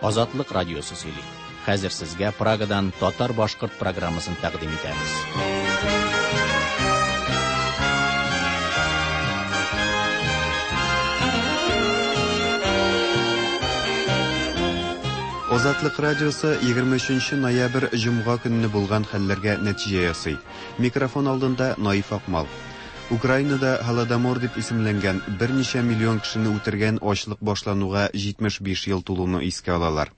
Азатлык радиосы сөйли. Хәзер сезгә Прагадан татар-башкорт программасын тәкъдим итәбез. Азатлык радиосы 23 ноябрь җомга көнне булган хәлләргә нәтиҗә ясый. Микрофон алдында Наиф Акмал. Украинада Һолодомор дип исемләнгән берничә миллион кешене үтергән ачлык башлануга 75 ел тулуны искә алалар.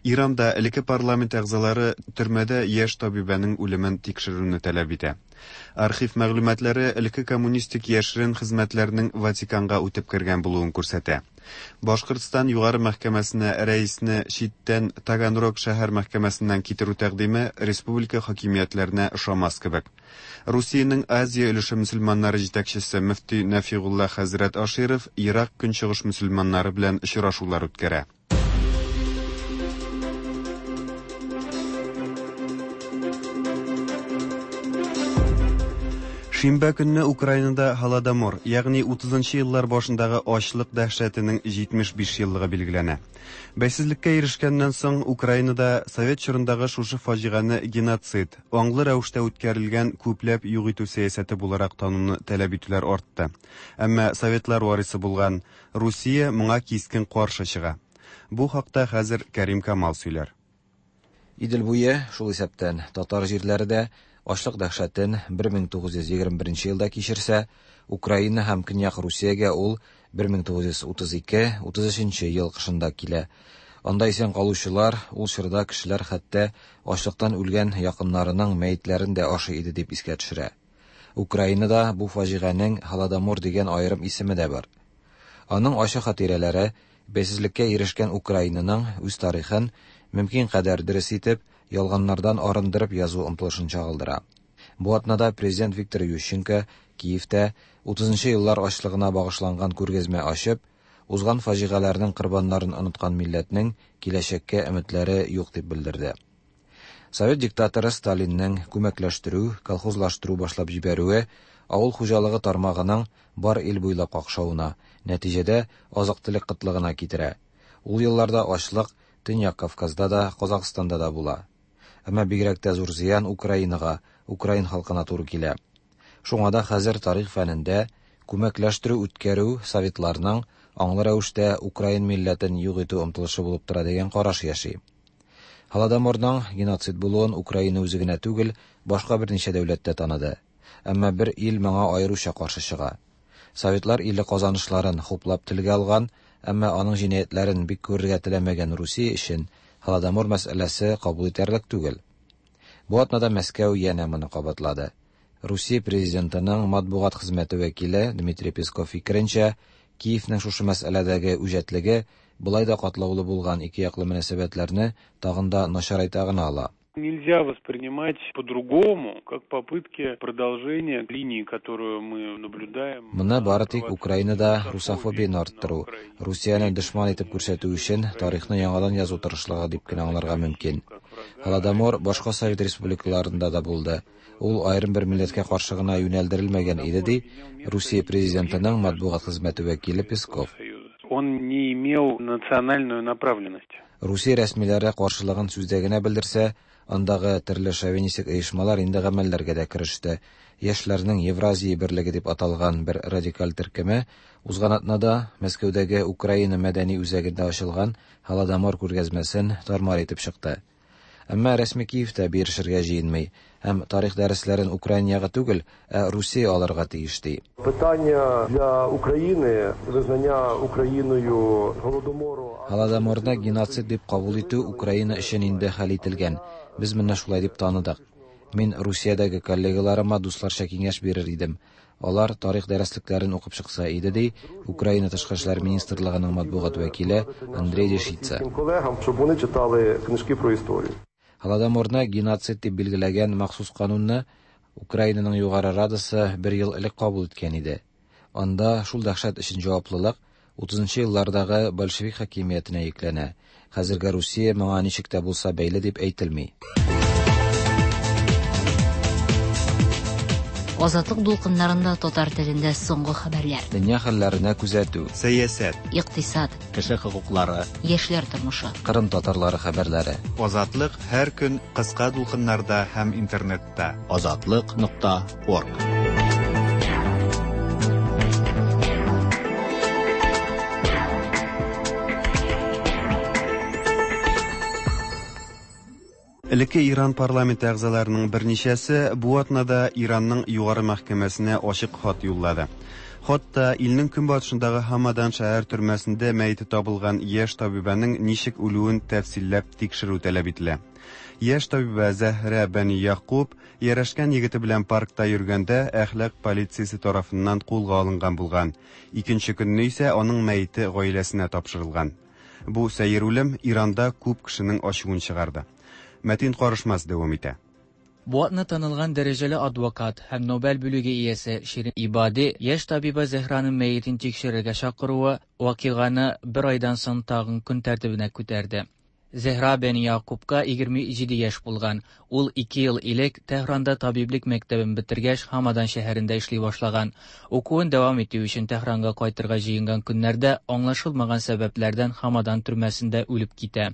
Иранда элекке парламент әгъзалары төрмәдә яшь табибәнең үлемен тикшерүне таләп итә. Архив мәгълүматлары элекке коммунистик яшерен хезмәтләрнең Ватиканга үтеп кергән булуын күрсәтә. Башкортстан Югары мәхкәмәсенә рәисне читтән Таганрог шәһәр мәхкәмәсеннән китерү тәкъдиме республика хакимиятләренә ошамас кебек. Русиянең Азия өлеше мөселманнары җитәкчесе мөфти Нәфигулла хәзрәт Аширов Ерак Көнчыгыш мөселманнары белән очрашулар үткәрә. Шимбә көнне Украинада Һолодомор, ягъни 30 нчы еллар башындагы ачлык дәһшәтенең 75 еллыгы билгеләнә. Бәйсезлеккә ирешкәннән соң Украинада совет чорындагы шушы фаҗигане геноцид, аңлы рәвештә үткәрелгән күпләп юк итү сәясәте буларак тануны таләп итүләр артты. Әмма советлар варисы булган Русия моңа кискен каршы чыга. Бу хакта хәзер Кәрим Камал сөйләр. Идел буе, шул исәптән татар җирләре дә, ачлык дәһшәтен 1921 елда кичерсә, Украина һәм Көньяк Русиягә ул 1932-33 ел кышында килә. Анда исән калучылар, ул чорда кешеләр хәтта ачлыктан үлгән якыннарының мәетләрен дә ашый иде дип искә төшерә. Украинада бу фаҗиганең Һолодомор дигән аерым исеме дә бар. Аның ачы хатирәләре бәйсезлеккә ирешкән Украинаның үз тарихын мөмкин кадәр дөрес итеп, ялганнардан арындырып язу омтылышын чагылдыра. Бу атнада президент Виктор Ющенко Киевтә 30 еллар ачлыгына багышланган күргәзмә ачып, узган фаҗигаләрнең корбаннарын оныткан милләтнең киләчәккә өметләре юк дип белдерде. Совет диктаторы Сталинның күмәкләштерү, колхозлаштыру башлап җибәрүе авыл хуҗалыгы тармагының бар ил буйлап какшавына, нәтиҗәдә азык-төлек кытлыгына китерә. Ул елларда ачлык Төньяк Кавказда да, Казахстанда да була. Әмма бигрәк тә зур зыян Украинага, украин халкына туры килә. Шуңа да хәзер тарих фәнендә күмәкләштерү үткәрү советларның аңлы рәвештә украин милләтен юк итү омтылышы булып тора дигән караш яши. Һолодоморның геноцид булуын Украина үзе генә түгел, башка берничә дәүләт тә таныды. Әмма бер ил моңа аеруча каршы чыга. Советлар иле казанышларын хуплап телгә алган, әмма аның җинаятьләрен бик күрергә теләмәгән Русия өчен Һолодомор мәсьәләсе кабул итәрлек түгел. Бу атнада Мәскәү янә моны кабатлады. Русия президентының матбугат хезмәте вәкиле Дмитрий Песков фикеренчә, Киевнең шушы мәсьәләдәге үҗәтлеге болай да катлаулы булган ике яклы мөнәсәбәтләрне тагын да начарайта гына ала. Нельзя воспринимать по-другому, как попытки продолжения линии, которую мы наблюдаем. Моны бары тик Украинада русофобияне арттыру, Русияне дошман итеп күрсәтү өчен тарихны яңадан язу тырышлыгы дип кенә аңларга мөмкин. Һолодомор башка совет республикаларында да булды. Ул аерым бер милләткә каршы гына юнәлдерелмәгән иде, ди Русия президентының матбугат хезмәте вәкиле Песков. Он не имел национальную направленность. Русия рәсмиләре каршылыгын сүздә генә белдерсә, андагы төрле шовинистик оешмалар инде гамәлләргә дә кереште. Яшьләрнең Евразия берлеге дип аталган бер радикаль төркеме узган атнада Мәскәүдәге Украина мәдәни үзәгендә ачылган Һолодомор күргәзмәсен тармар итеп чыкты. Әмма рәсми Киев тә бирешергә җыенмый һәм тарих дәресләрен Украина ягы түгел, ә Русия алырга тиеш ди. Питання для України визнання Україною Голодомору. Һолодоморны геноцид дип кабул итү Украина өчен инде хәл ителгән. Без моны шулай дип таныдык. Мин Русиядәге коллегаларыма дусларча киңәш бирер идем. Алар тарих дәреслекләрен укып чыкса иде, ди Украина тышкы эшләр министрлыгының матбугат вәкиле Андрей Дешица. Колегам, щоб вони читали книжки про історію. Һолодоморны геноцид дип билгеләгән махсус канунны Украинаның Югары Радасы бер ел элек кабул иткән иде. Анда шул дәһшәт өчен җаваплылык 30 еллардагы большевик хакимиятенә йөкләнә. Хәзерге Русия моңа ничек тә булса бәйле дип әйтелми. Азатлык дулкыннарында татар телендә соңгы хәбәрләр. Дөнья хәлләренә күзәтү. Сәясәт. Икътисад. Кеше хокуклары. Яшьләр тормышы. Кырым татарлары хәбәрләре. Азатлык һәр көн кыска дулкыннарда һәм интернетта. Азатлык нокта орг. Элекке Иран парламенты әгъзаларының берничәсе бу атнада Иранның югары мәхкәмәсенә ачык хат юллады. Хатта илнең көнбатышындагы Хамадан шәһәр төрмәсендә мәете табылган яшь табибәнең ничек үлүен тәфсилләп тикшерү таләп ителә. Яшь табибә Зәһрә Бәни Якуб ярәшкән егете белән паркта йөргәндә әхлак полициясе тарафыннан кулга алынган булган. Икенче көнне исә аның мәете гаиләсенә тапшырылган. Бу сәер үлем Иранда күп кешенең ачуын чыгарды. Мәтин Карышмас дәвам итә. Бу атна танылган дәрәҗәле адвокат һәм Нобель бүлеге иясе Ширин Ибади яшь табиба Зәһраның мәетен тикшерергә чакыруы вакыйганы бер айдан соң тагын көн тәртибенә күтәрде. Зәһра Бәни Якубка 27 яшь булган. Ул 2 ел элек Тәһранда табиблек мәктәбен бетергәч, Хамадан шәһәрендә эшли башлаган. Укуын дәвам итү өчен Тәһранга кайтырга җыенган көннәрдә аңлашылмаган сәбәпләрдән Хамадан төрмәсендә үлеп китә.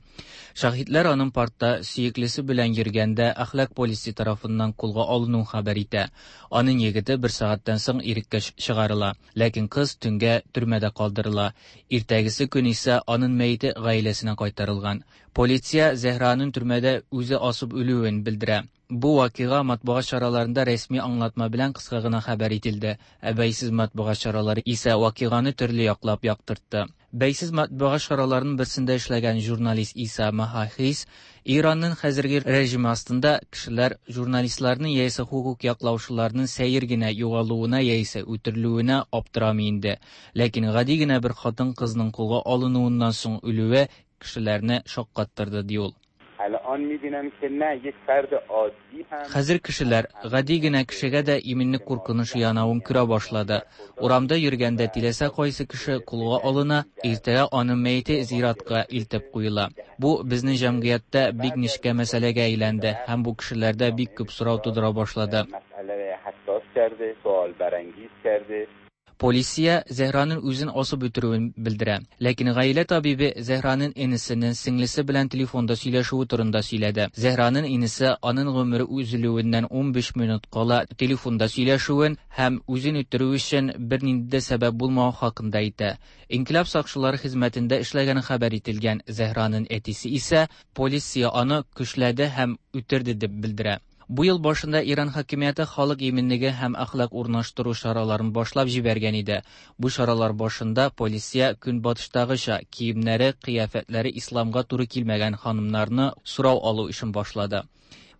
Шаһитләр аның паркта сөеклесе белән йөргәндә әхлак полисе тарафыннан кулга алынуын хәбәр итә. Аның егете бер сәгатьтән соң иреккә чыгарыла, ләкин кыз төнгә төрмәдә калдырыла. Иртәгесе көн исә аның мәете гаиләсенә кайтарылган. Полиция Зәһраның төрмәдә үзе асып үлүен белдерә. Бу вакыйга матбугат чараларында рәсми аңлатма белән кыска гына хәбәр ителде. Ә бәйсез матбугат чаралары исә вакыйганы төрле яклап яктыртты. Бәйсез матбугат чараларының берсендә эшләгән журналист Иса Махахис Иранның хәзерге режимы астында кешеләр журналистларның яисә хокук яклаучыларның сәер генә югалуына яисә үтерелүенә аптырамый инде. Ләкин гади генә бер хатын-кызның кулга алынуыннан соң үлүе кешеләрне шаккаттырды, ди ул. Хәзер кешеләр гади генә кешегә дә иминлек куркынычы янавын күрә башлады. Урамда йөргәндә теләсә кайсы кеше кулга алына, иртәгә аның мәете зиратка илтеп куела. Бу безнең җәмгыятьтә бик нечкә мәсьәләгә әйләнде һәм бу кешеләрдә бик күп сорау тудыра башлады. Полиция Зәһраның үзен асып үтерүен белдерә. Ләкин гаилә табибе Зәһраның энесенең сеңлесе белән телефонда сөйләшүе турында сөйләде. Зәһраның энесе аның гомере өзелүеннән 15 минут кала телефонда сөйләшүен һәм үзен үтерү өчен бернинди дә сәбәп булмавы хакында әйтә. Инкыйлаб сакчылары хезмәтендә эшләгәне хәбәр ителгән Зәһраның әтисе исә полиция аны көчләде һәм үтерде дип белдерә. Бу ел башында Иран хакимияте халык иминлеге һәм әхлак урнаштыру чараларын башлап җибәргән иде. Бу чаралар башында полиция көнбатыштагыча киемнәре, кыяфәтләре исламга туры килмәгән ханымнарны сорау алу эшен башлады.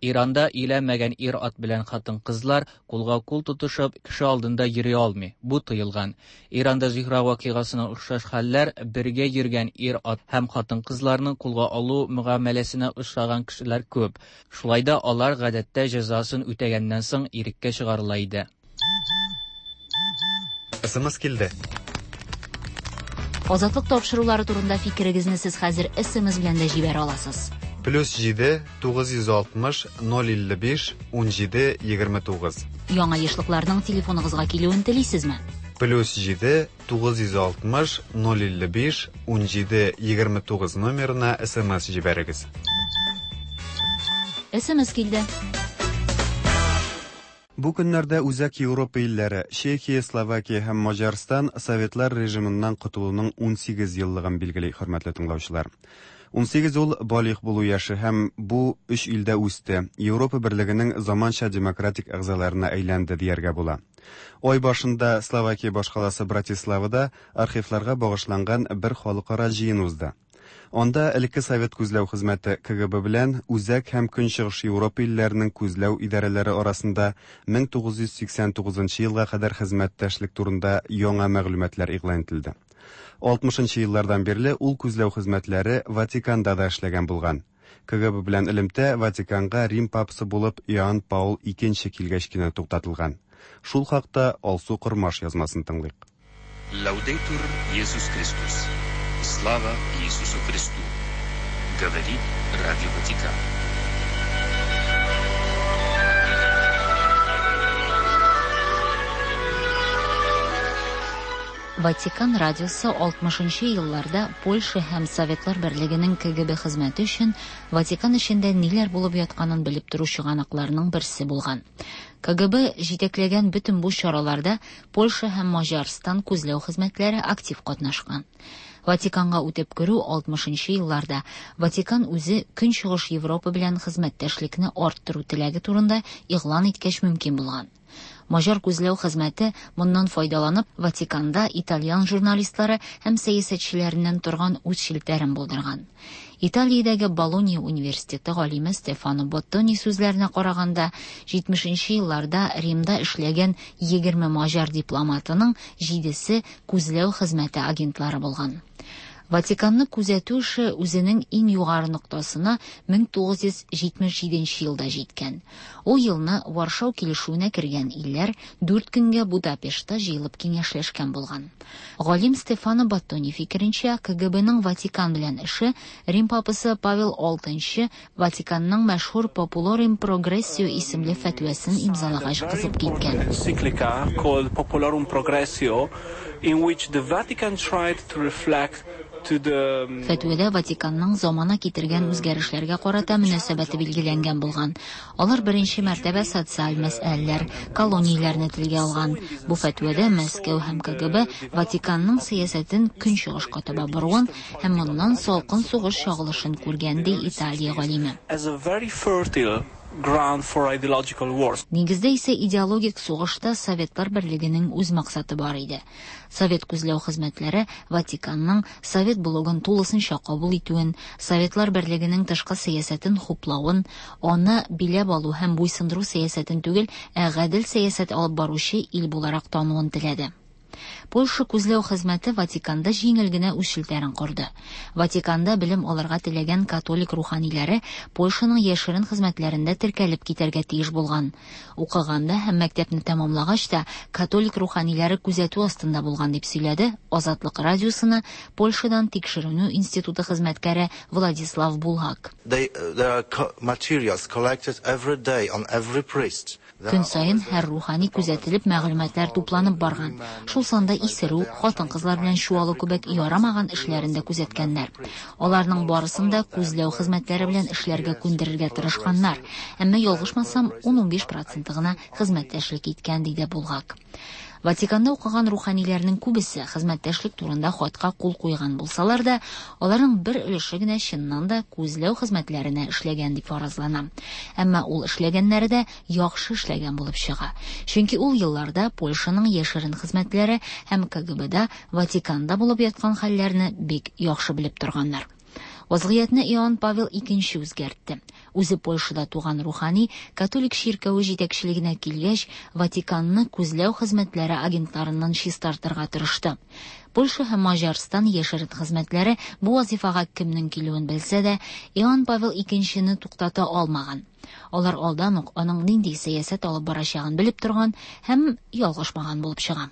Иранда өйләнмәгән ир-ат белән хатын-кызлар кулга-кул тотышып кеше алдында йөри алмый. Бу тыелган. Иранда Зөһрә вакыйгасына охшаш хәлләр бергә йөргән ир-ат һәм хатын-кызларны кулга алу мөгамәләсенә очраган кешеләр күп. Шулай да алар гадәттә җәзасын үтәгәннән соң иреккә чыгарыла иде. СМС килде. Азатлык тапшырулары турында фикерегезне сез хәзер СМС белән дә җибәрә аласыз. Плюс 7 960 055 17 29. Яңа ешлыкларның телефоныгызга килүен телисезме? Плюс 7 960 055 17 29 номерына СМС җибәрегез. СМС килде. Бу көннәрдә Үзәк Европа илләре Чехия, Словакия һәм Маҗарстан Советлар режимыннан котылуның 18 еллыгын билгели, хөрмәтле тыңлаучылар. 18 ул балигъ булу яше һәм бу өч илдә үсте. Европа берлегенең заманча демократик әгъзаларына әйләнде дияргә була. Ай башында Словакия башкаласы Братиславада архивларга багышланган бер халыкара җыен узды. Анда элекке Совет күзләү хезмәте КГБ белән Үзәк һәм Көнчыгыш Европа илләренең күзләү идарәләре арасында 1989 елга кадәр хезмәттәшлек турында яңа мәгълүматлар игълан ителде. 60 еллардан бирле ул күзләү хезмәтләре Ватиканда да эшләгән булган. КГБ белән элемтә Ватиканга Рим папасы булып Иоанн Паул II килгәч кенә туктатылган. Шул хакта Алсу Кормаш язмасын тыңлыйк. Лаудетур Иисус Христос. Слава Иисусу Христу! Говорит Радио Ватикан. Ватикан радиосы 60 нчы елларда Польша һәм Советлар Берлегенең КГБ хезмәте өчен Ватикан эчендә ниләр булып ятканын белеп тору чыганакларының берсе булган. КГБ җитәкләгән бөтен бу чараларда Польша һәм Маҗарстан күзләү хезмәтләре актив катнашкан. Ватиканга үтеп керү 60 нчы елларда Ватикан үзе Көнчыгыш Европа белән хезмәттәшлекне арттыру теләге турында игълан иткәч мөмкин булган. Маҗар күзләү хезмәте моннан файдаланып, Ватиканда итальян журналистлары һәм сәясәтчеләреннән торган үз челтәрен булдырган. Италиядәге Болонья университеты галиме Стефано Боттони сүзләренә караганда, 70 нче елларда Римда эшләгән 20 маҗар дипломатының җидесе күзләү хезмәте агентлары булган. Ватиканны күзәтү эше үзенең иң югары ноктасына 1977 нче елда җиткән. Ул елны Варшау килешүенә кергән илләр дүрт көнгә Будапештта җыелып киңәшләшкән булган. Галим Стефано Баттони фикеренчә, КГБның Ватикан белән эше Рим папасы Павел VI Ватиканның мәшһүр Populorum Progressio исемле фәтвәсен имзалагач кызып киткән. Encyclica called Populorum Progressio, in which the Vatican tried to reflect to the Фәтвәдә Ватиканның замана китергән үзгәрешләргә карата мөнәсәбәте билгеләнгән булган. Алар беренче мәртәбә социаль мәсьәләләр, колонияләрне телгә алган. Бу фәтвәдә Мәскәү һәм КГБ Ватиканның сәясәтен көнчыгышка таба боруын һәм моннан салкын сугыш чагылышын күргән, ди Италия галиме. as a very fertile ground for ideological wars. Нигездә исә идеологик сугышта Советлар Берлегенең үз максаты бар иде. Совет күзләү хезмәтләре Ватиканның Совет блогын тулысынча кабул итүен, Советлар Берлегенең тышкы сәясәтен хуплавын, аны биләп алу һәм буйсындыру сәясәтен түгел, ә гадел сәясәт алып баручы ил буларак тануын теләде. Польша күзләү хезмәте Ватиканда җиңел генә үз челтәрен корды. Ватиканда белем алырга теләгән католик руханиләре Польшаның яшерен хезмәтләрендә теркәлеп китәргә тиеш булган. Укыганда һәм мәктәпне тәмамлагач та католик руханиләре күзәтү астында булган, дип сөйләде Азатлык радиосына Польшадан тикшеренү институты хезмәткәре Владислав Булгак. They, there are materials collected every day on every priest. Көн саен һәр рухани күзәтелеп, мәгълүматлар тупланып барган. Шул санда исерү, хатын-кызлар белән чуалу кебек ярамаган эшләрен дә күзәткәннәр. Аларның барысын да күзләү хезмәтләре белән эшләргә күндерергә тырышканнар. Әмма ялгышмасам, 10-15 проценты гына хезмәттәшлек иткән, диде Булгак. Ватиканда укыган руханиләрнең күбесе хезмәттәшлек турында хатка кул куйган булсалар да, аларның бер өлеше генә чыннан да күзләү хезмәтләренә эшләгән дип фаразлана. Әмма ул эшләгәннәре дә яхшы эшләгән булып чыга. Чөнки ул елларда Польшаның яшерен хезмәтләре һәм КГБда Ватиканда булып яткан хәлләрне бик яхшы белеп торганнар. Вазгыятьне Иоанн Павел II үзгәртте. Үзе Польшада туган рухани католик чиркәве җитәкчелегенә килгәч, Ватиканны күзләү хезмәтләре агентларыннан чистартырга тырышты. Польша һәм Маҗарстан яшерен хезмәтләре бу вазифага кемнең килүен белсә дә, Иоанн Павел II туктата алмаган. Алар алдан ук аның нинди сәясәт алып барачагын белеп торган һәм ялгышмаган булып чыга.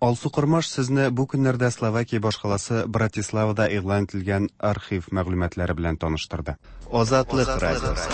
Алсу Кормаш сезне бу көннәрдә Словакия башкаласы Братиславада игълан ителгән архив мәгълүматлары белән таныштырды. Азатлык радиосы.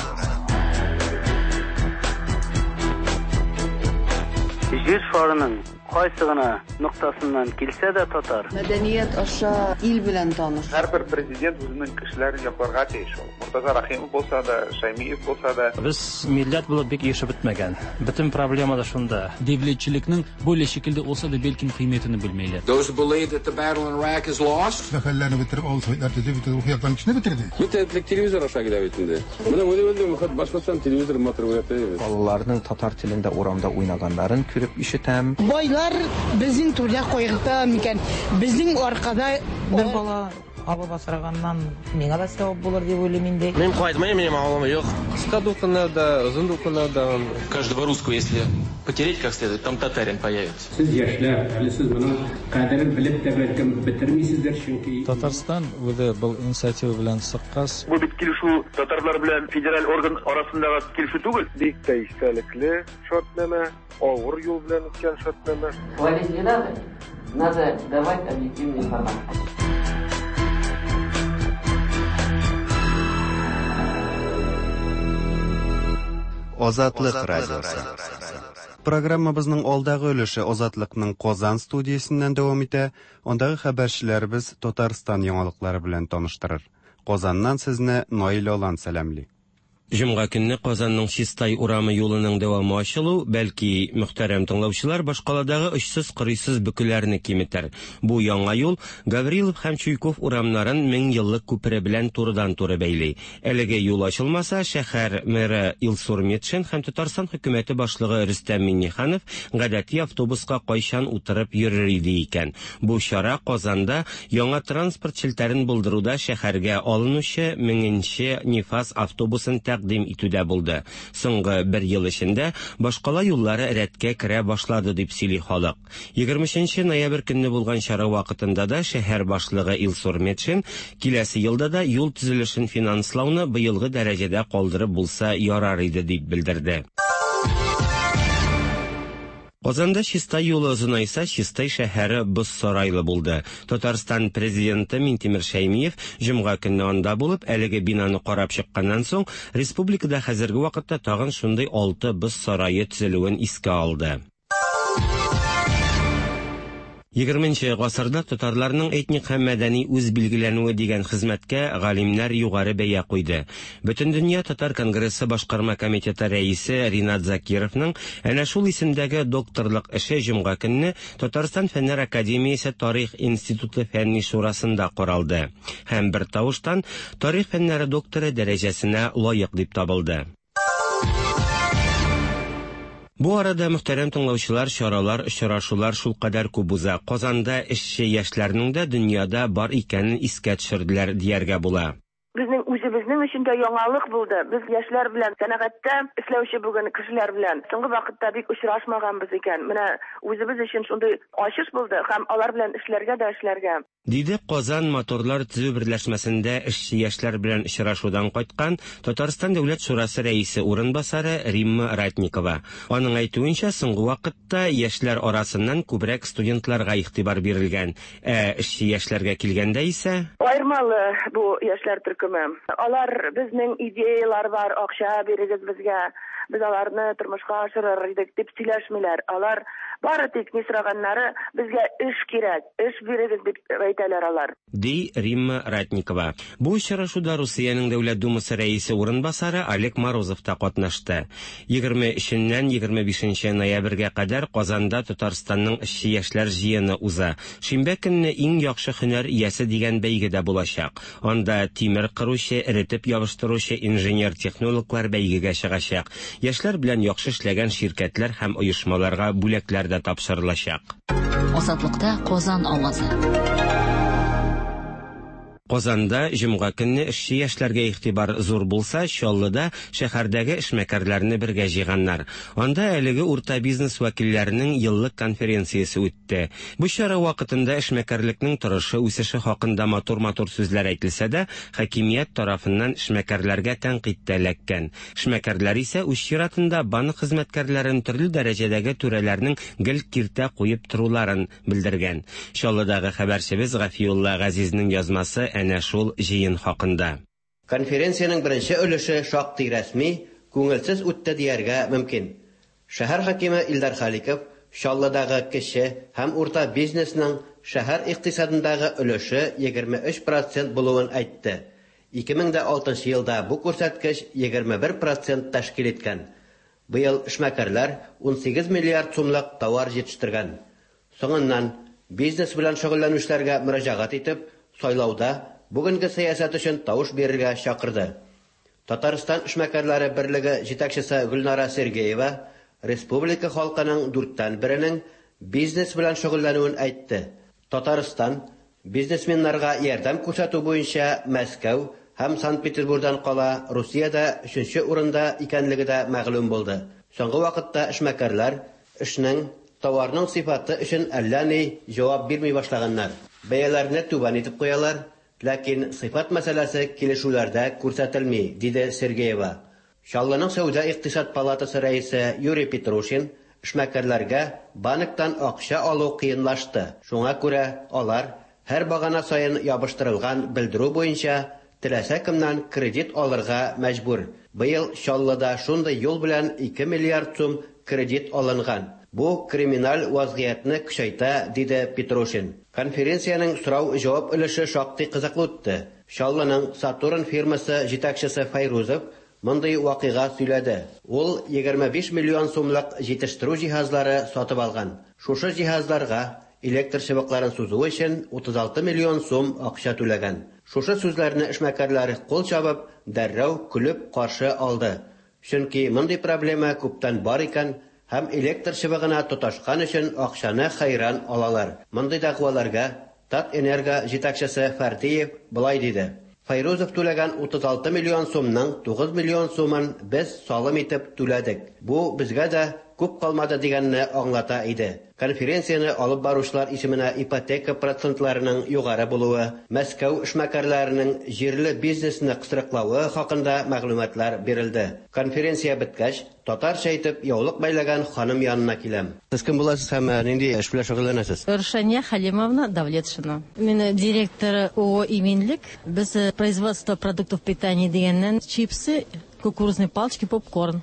Җир шарының кайсы гына ноктасыннан килсә дә татар. Мәдәният аша ил белән таныш. Һәрбер президент үзенең кешеләрен якларга тиеш ул. Мортаза Рәхимов булса да, Шәймиев булса да. Без милләт булып бик ирешеп бетмәгән. Бөтен проблема да шунда. Devletçilikning böyle şekilde olsa da belki kıymetini bilmeyler. Those who believe that the battle in Iraq is lost. Хәлләрне бетереп, авыл советлар төзеп, бөтен рухи яктан кешене бетерде. Бөтен телевизор аша килә бит инде. Менә үзем Башкортстан телевизор матур күрә. Балаларның татар телендә урамда уйнаганнарын күреп ишетәм. Байлар безнең түрдә кайгырта микән? Безнең аркада бер бала алып асраганнан миңа да савап булыр дип уйлыйм инде. Мин кайтмыйм, минем авылым юк. Кыска дулкыннарда, озын дулкыннарда. Каждого русского, если потереть как следует, там татарин появится. Сез яшьләр, әле сез моның кадерен белеп тә бәлкем бетермисездер, чөнки Татарстан үзе был инициатива белән чыккач. Бу бит килешү татарлар белән федераль орган арасындагы килешү түгел. Бик тә истәлекле шартнамә, авыр юл белән үткән шартнамә. Хвалить не надо, надо давать объективную информацию. Азатлык радиосы. Программабызның алдагы өлеше Азатлыкның Казан студиясеннән дәвам итә. Андагы хәбәрчеләребез Татарстан яңалыклары белән таныштырыр. Казаннан сезне Наил Алан сәламли. Җомга көнне Казанның Чистай урамы юлының дәвамы ачылу, бәлки, мөхтәрәм тыңлаучылар, башкаладагы очсыз-кырыйсыз бөкеләрне киметер. Бу яңа юл Гаврилов һәм Чуйков урамнарын меңьеллык күпере белән турыдан-туры бәйли. Әлеге юл ачылмаса, шәһәр мэры Илсур Метшин һәм Татарстан хөкүмәте башлыгы Рөстәм Миңнеханов гадәти автобуска кайчан утырып йөрер иде икән? Бу чара Казанда яңа транспорт челтәрен булдыруда шәһәргә алынучы меңенче Нефаз автобусын тәкъдим итүдә булды. Соңгы бер ел эчендә башкала юллары рәткә керә башлады дип сөйли халык. 23 ноябрь көнне булган чара вакытында да шәһәр башлыгы Илсур Метшин киләсе елда да юл төзелешен финанслауны быелгы дәрәҗәдә калдырып булса ярар иде дип белдерде. Казанда Чистай юлы озынайса, Чистай шәһәре боз сарайлы булды. Татарстан президенты Минтимер Шәймиев җомга көнне анда булып, әлеге бинаны карап чыкканнан соң, республикада хәзерге вакытта тагын шундый алты боз сарае төзелүен искә алды. Егерменче гасырда татарларның этник һәм мәдәни үзбилгеләнүе дигән хезмәткә галимнәр югары бәя куйды. Бөтендөнья татар конгрессы башкарма комитеты рәисе Ринат Закировның әнә шул исемдәге докторлык эше җомга көнне Татарстан Фәннәр академиясе Тарих институты фәнни шурасында каралды һәм бертавыштан тарих фәннәре докторы дәрәҗәсенә лаек дип табылды. Бу арада, мөхтәрәм тыңлаучылар, чаралар, очрашулар шулкадәр күп уза, Казанда эшче яшьләрнең дә дөньяда бар икәнен искә төшерделәр дияргә була. Безнең үзебезнең өчен дә яңалык булды. Без яшьләр белән, сәнәгатьтә эшләүче бүген кешеләр белән соңгы вакытта бик очрашмаганбыз икән. Менә үзебез өчен шундый ачыш булды һәм алар белән эшләргә дә эшләргә. Диде Казан моторлар төзү берләшмәсендә эшче яшьләр белән очрашудан кайткан Татарстан Дәүләт шурасы рәисе урынбасары Римма Ратникова. Аның әйтүенчә, соңгы вакытта яшьләр арасыннан күбрәк студентларга игътибар бирелгән. Ә эшче яшьләргә килгәндә исә. Аермалы бу яшьләр төркеме. Алар безнең идеяләр бар, акча бирегез безгә, без аларны тормышка ашырыр идек дип сөйләшмиләр. Алар бары тик ни сораганнары, безгә эш кирәк, эш бирегез дип әйтәләр алар. Ди Римма Ратникова. Бу очрашуда Русиянең Дәүләт Думасы рәисе урынбасары Олег Морозов та катнашты. 23-ннән 25 ноябрьгә кадәр Казанда Татарстанның эшче яшьләр җыены уза. Шимбә көнне Иң яхшы һөнәр иясе дигән бәйге дә булачак. Анда тимер кыручы, эретеп ябыштыручы инженер-технологлар бәйгегә чыгачак. Яшьләр белән яхшы эшләгән ширкәтләр һәм оешмаларга бүләкләр дә тапшырылачак. Азатлыкта Казан авазы. Казанда җомга көнне эшче яшьләргә игътибар зур булса, Чаллыда шәһәрдәге эшмәкәрләрне бергә җыйганнар. Анда әлеге урта бизнес вәкилләренең еллык конференциясе үтте. Бу чара вакытында эшмәкәрлекнең торышы, үсеше хакында матур-матур сүзләр әйтелсә дә, хакимият тарафыннан эшмәкәрләргә тәнкыйть тә эләккән. Эшмәкәрләр исә үз чиратында банк хезмәткәрләрен төрле дәрәҗәдәге түрәләрнең гел киртә куеп торуларын белдергән. Чаллыдагы хәбәрчебез Гафиулла Газизнең язмасы әнә шул җыен хакында. Конференциянең беренче өлеше шактый рәсми, күңелсез үтте дияргә мөмкин. Шәһәр хакиме Илдар Халиков Чаллыдагы кече һәм урта бизнесның шәһәр икътисадындагы өлеше 23 процент булуын әйтте. 2006 елда бу күрсәткеч 21 процент тәшкил иткән. Быел эшмәкәрләр 18 миллиард сумлык товар җитештергән. Соңыннан бизнес белән шөгыльләнүчеләргә мөрәҗәгать итеп, сайлауда бүгенге сәясәт өчен тавыш бирергә чакырды. Татарстан эшмәкәрләре берлеге җитәкчесе Гөлнара Сергеева республика халкының дүрттән беренең бизнес белән шөгыльләнүен әйтте. Татарстан бизнесменнарга ярдәм күрсәтү буенча Мәскәү һәм Санкт-Петербургдан кала Русиядә өченче урында икәнлеге дә мәгълүм булды. Соңгы вакытта эшмәкәрләр эшнең, товарның сыйфаты өчен әллә ни җавап бирми башлаганнар. Бәяләрне түбән итеп куялар, ләкин сыйфат мәсьәләсе килешүләрдә күрсәтелми, диде Сергеева. Чаллының Сәүдә-икътисад палатасы рәисе Юрий Петрушин эшмәкәрләргә банктан акча алу кыенлашты, шуңа күрә алар һәр багана саен ябыштырылган белдерү буенча теләсә кемнән кредит алырга мәҗбүр. Быел Чаллыда шундый юл белән 2 миллиард сум кредит алынган. Бу криминаль вазгыятьне көчәйтә, диде Петрушин. Конференциянең сорау-җавап өлеше шактый кызыклы үтте. Чаллының Сатурн фирмасы җитәкчесе Фәйрузов мондый вакыйга сөйләде. Ул 25 миллион сумлык җитештерү җиһазлары сатып алган. Шушы җиһазларга электр чыбыкларын сузу өчен 36 миллион сум акча түләгән. Шушы сүзләрне эшмәкәрләр кул чабып, дәррәү көлеп каршы алды. Чөнки мондый проблема күптән бар икән һәм электр чыбыгына тоташкан өчен акчаны хәйран алалар. Мондый дәгъваларга Татэнерго җитәкчесе Фәрдиев болай диде: Фәйрузов түләгән 36 миллион сумның 9 миллион сумын без салым итеп түләдек. Бу безгә дә күп калмады дигәнне аңлата иде. Конференцияне алып баручылар исеменә ипотека процентларының югары булуы, Мәскәү эшмәкәрләренең җирле бизнесны кысрыклавы хакында мәгълүматлар бирелде. Конференция беткәч, татарча итеп яулык бәйләгән ханым янына киләм. Сез кем буласыз һәм нинди эш белән шөгыльләнәсез? Рушания Халимовна Давлетшина. Мин директор ООО «Иминлек». Без производство продуктов питания дигәннән чипсы, кукурузные палочки, попкорн.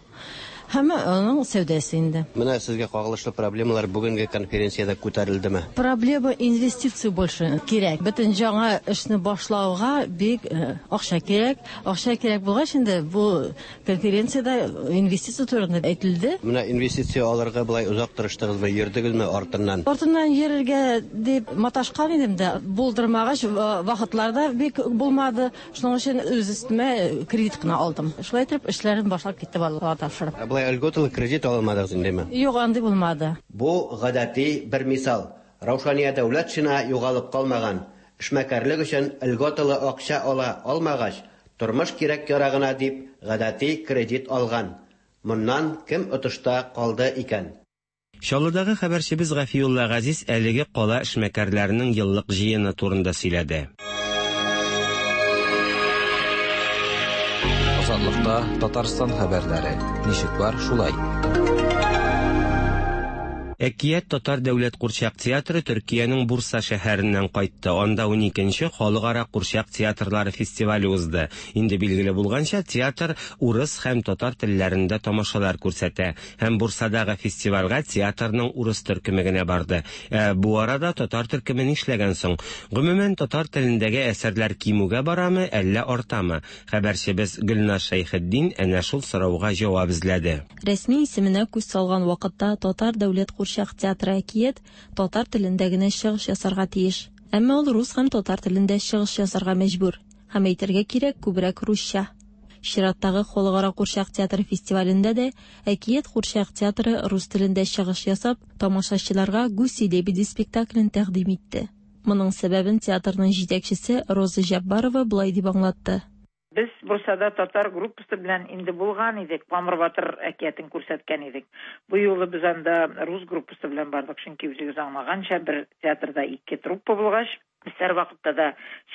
Һәм аның сәүдәсе инде. Менә сезгә кагылышлы проблемалар бүгенге конференциядә күтәрелдеме? Проблема инвестиция больше кирәк. Бөтен яңа эшне башлауга бик акча кирәк. Акча кирәк булгач инде бу конференциядә инвестиция турында әйтелде. Менә инвестиция алырга болай озак тырыштыгызмы, йөрдегезме артыннан? Артыннан йөрергә дип маташкан идем дә, булдырмагач, вакытларда бик булмады. Шуның өчен үз өстемә кредит кына алдым. Шулай итеп эшләрем башлап китте Аллага тапшырып. Ә болай льготалы кредит алмадыгыз индеме? Юк, андый булмады. Бу гадәти бер мисал. Раушания Дәүләтшина югалып калмаган. Эшмәкәрлек өчен льготалы акча ала алмагач, тормыш кирәк-ярагына дип гадәти кредит алган. Моннан кем отышта калды икән? Чаллыдагы хәбәрчебез Гафиулла Газиз әлеге кала эшмәкәрләренең еллык җыены турында сөйләде. Азатлыкта Татарстан хәбәрләре. Ничек бар, шулай. Әкият татар дәүләт курчак театры Төркиянең Бурса шәһәреннән кайтты. Анда 12нче халыкара курчак театрлары фестивале узды. Инде билгеле булганча, театр урыс һәм татар телләрендә тамашалар күрсәтә. Һәм Бурсадагы фестивальгә театрның урыс төркеме генә барды. Ә бу арада татар төркеме нишләгән соң? Гомумән, татар телендәге әсәрләр кимүгә барамы, әллә артамы? Хәбәрчебез Гөлназ Шәйхетдин әнә шул сорауга җавап эзләде. Рәсми исеменә күз салган вакытта Татар дәүләт курчак театры Әкият татар телендә генә чыгыш ясарга тиеш. Әмма ул рус һәм татар телендә чыгыш ясарга мәҗбүр. Һәм әйтергә кирәк, күбрәк русча. Чираттагы халыкара курчак театры фестивалендә дә Әкият курчак театры рус телендә чыгыш ясап, тамашачыларга Гуси-лебеди спектаклен тәкъдим итте. Моның сәбәбен театрның җитәкчесе Роза Җәббарова болай дип аңлатты. Без Бурсада татар группасы белән инде булган идек, Камыр батыр әкиятен күрсәткән идек. Бу юлы без анда рус группасы белән бардык, чөнки үзегез аңлаганча, бер театрда ике труппа булгач, без һәрвакытта да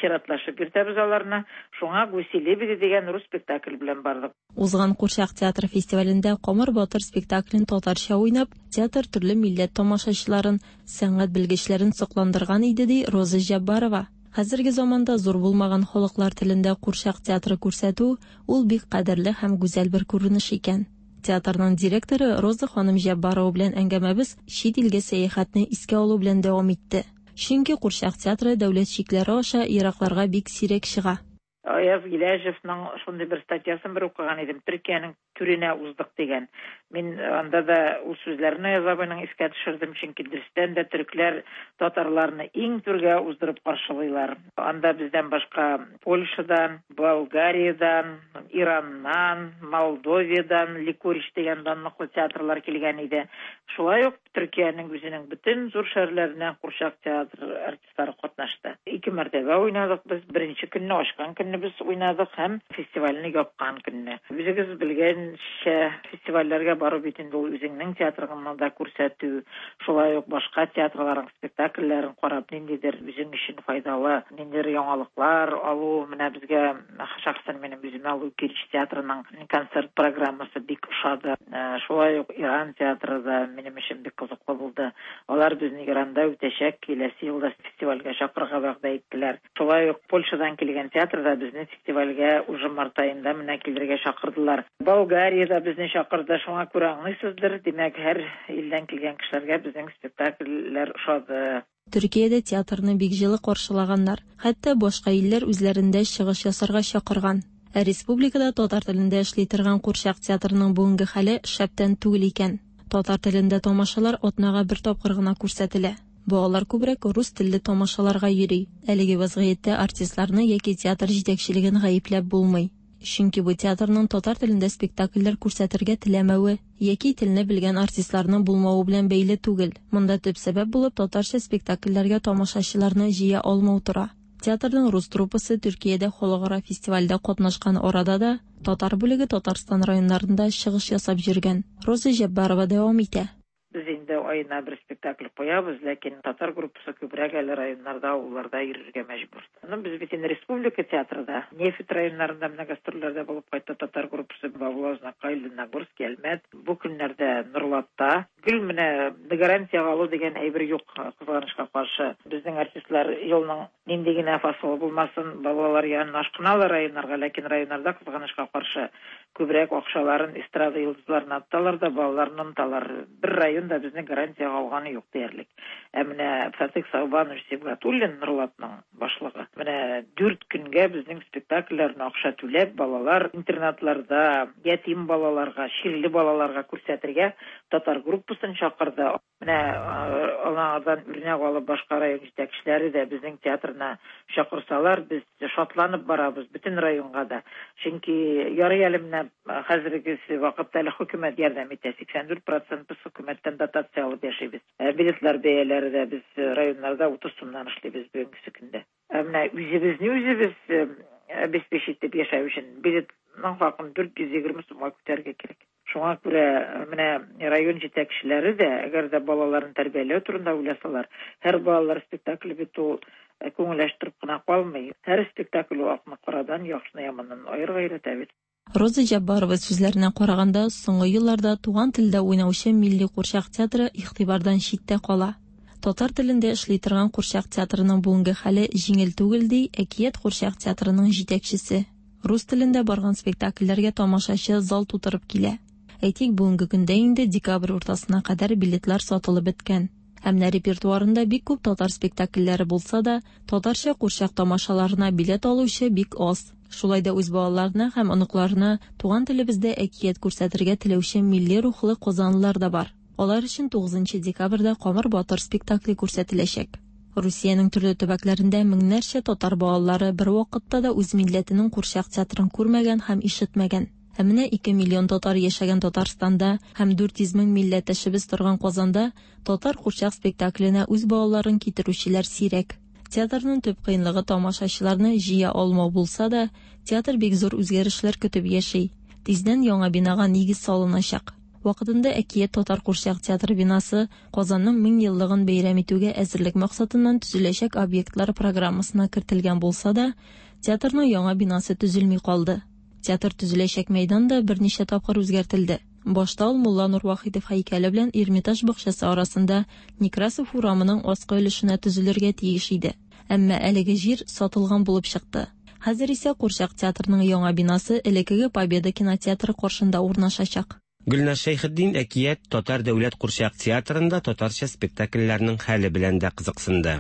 чиратлашып йөртәбез аларны. Шуңа Гуси-лебеди дигән рус спектакль белән бардык. Узган Курчак театры фестивалендә Камыр батыр спектаклен татарча уйнап, театр төрле милләт тамашачыларын, сәнгать белгечләрен сокландырган иде, ди Роза Җәббарова. Хәзерге заманда зур булмаган халыклар телендә курчак театры күрсәтү ул бик кадерле һәм гүзәл бер күренеш икән. Театрның директоры Роза ханым Җәббарова белән әңгәмәбез чит илгә сәяхәтне искә алу белән дәвам итте. Чөнки курчак театры дәүләт чикләре аша еракларга бик сирәк чыга. Аяз Гиләҗевның шундый бер статьясын бер укыган идем, Төркиянең түренә уздык дигән. Мин анда да ул сүзләрне Аяз абыйның искә төшердем, чөнки дөрестән дә төрекләр татарларны иң түргә уздырып каршылыйлар. Анда бездән башка Польшадан, Болгариядән, Ираннан, Молдовиядән Ликорич дигән данлыклы театрлар килгән иде. Шулай ук Төркиянең үзенең бөтен зур шәһәрләреннән курчак театр артистлары катнашты. Ике мәртәбә уйнадык без. Беренче көнне, ачкан көнне без уйнадык һәм фестивальне япкан көнне. Үзегез белгәнчә, фестивальләргә бару бит инде ул үзеңнең театрыңны да күрсәтү, шулай ук башка театрларның спектакльләрен карап, ниндидер үзең өчен файдалы, ниндидер яңалыклар алу. Менә безгә шәхсән минем үземә Лукич театрының концерт программасы бик ошады. Шулай ук Иран театры да минем өчен бик кызыклы булды. Алар безне Иранда үтәчәк киләсе елда фестивальгә чакырырга вәгъдә иттеләр. Шулай ук Польшадан килгән театр да безне фестивальгә уже март аенда менә килергә чакырдылар. Болгария дә безне чакырды, шуңа күрә аңлыйсыздыр, димәк, һәр илдән килгән кешеләргә безнең спектакльләр ошады. Төркиядә театрны бик җылы каршылаганнар, хәтта башка илләр үзләрендә чыгыш ясарга чакырган. Ә республикада татар телендә эшли торган курчак театрының бүгенге хәле шәптән түгел икән. Татар телендә тамашалар атнага бер тапкыр гына күрсәтелә. Балалар күбрәк рус телле тамашаларга йөри. Әлеге вазгыятьтә артистларны яки театр җитәкчелеген гаепләп булмый. Чөнки бу театрның татар телендә спектакльләр күрсәтергә теләмәве яки телне белгән артистларның булмавы белән бәйле түгел. Монда төп сәбәп булып татарча спектакльләргә тамашачыларны җыя алмау тора. Театрның рус труппасы Төркиядә халыкара фестивальдә катнашкан арада да татар бүлеге Татарстан районнарында чыгыш ясап йөргән. Роза Җәббарова дәвам итә. Без инде аена бер спектакль куябыз, ләкин татар группасы күбрәк әле районнарда, авылларда йөрергә мәҗбүр. Ну, без бит инде республика театры да. Нефть районнарында менә гастрольләрдә булып кайтты татар группасы Баулы, Азнакай, Лениногорск, Әлмәт. Бу көннәрдә Норлатта. Гел менә гарантиягә алу дигән әйбер юк, кызганычка каршы. Безнең артистлар елның нинди генә фасылы булмасын, балалар янына ашкыналар районнарга, ләкин районнарда, кызганычка каршы, Күбрәк акчаларын эстрада йолдызларына тоталар да, балаларны оныталар. Бер район да безне гарантиягә алганы юк диярлек. Ә менә Фатыйх Саубанович Сибгатуллин, Норлатның башлыгы, менә дүрт көнгә безнең спектакльләрне акча түләп, балалар интернатларда, ятим балаларга, чирле балаларга күрсәтергә татар группасын чакырды. Менә аңардан үрнәк алып башка район җитәкчеләре дә безнең театрына чакырсалар, без шатланып барабыз бөтен районга да. Чөнки ярый әле менә хәзерге вакытта әле хөкүмәт ярдәм итә. 84 процент без хөкүмәттән дотация алып яшибез. Билетлар бәяләре дә без районнарда 30 сумнан эшлибез бүгенге көндә. Ә менә үзебезне үзебез обеспечить итеп яшәү өчен билетның хакын 420 сумга күтәрергә кирәк. Шуңа күрә менә район җитәкчеләре дә, әгәр дә балаларын тәрбияләү турында уйласалар, һәр балалар спектакле бит ул күңел ачтырып кына калмый. Һәр спектакль ул акны карадан, яхшыны яманнан аерырга өйрәтә бит. Роза Җәббарова сүзләренә караганда, соңгы елларда туган телдә уйнаучы милли курчак театры игътибардан читтә кала. Татар телендә эшли торган курчак театрының бүгенге хәле җиңел түгел, ди Әкият курчак театрының җитәкчесе. Рус телендә барган спектакльләргә тамашачы зал тутырып килә. Әйтик, бүгенге көндә инде декабрь уртасына кадәр билетлар сатылып беткән. Ә менә репертуарында бик күп татар спектакльләре булса да, татарча курчак тамашаларына билет алучы бик аз. Шулай да үз балаларына һәм оныкларына туган телебездә әкият күрсәтергә теләүче милли рухлы казанлылар да бар. Алар өчен 9 декабрьдә Камыр батыр спектакле күрсәтеләчәк. Русиянең төрле төбәкләрендә меңнәрчә татар балалары бервакытта да үз милләтенең курчак театрын күрмәгән һәм ишетмәгән. Ә менә 2 миллион татар яшәгән Татарстанда һәм 400 мең милләттәшебез торган Казанда татар курчак спектакленә үз балаларын китерүчеләр сирәк. Театрның төп кыенлыгы тамашачыларны җыя алмау булса да, театр бик зур үзгәрешләр көтеп яши. Тиздән яңа бинага нигез салыначак. Вакытында Әкият татар курчак театры бинасы Казанның 1000 еллыгын бәйрәм итүгә әзерлек максатыннан төзеләчәк объектлар программасына кертелгән булса да, театрның яңа бинасы төзелми калды. Театр төзеләчәк мәйдан да берничә тапкыр үзгәртелде. Башта ул Мулланур Вахитов һәйкәле белән Эрмитаж бакчасы арасында Некрасов урамының аскы өлешенә төзелергә тиеш иде. Әмма әлеге җир сатылган булып чыкты. Хәзер исә Курчак театрының яңа бинасы элеккеге Победа кинотеатры каршында урнашачак. Гөлназ Шәйхетдин Әкият татар дәүләт курчак театрында татарча спектакльләрнең хәле белән дә кызыксынды.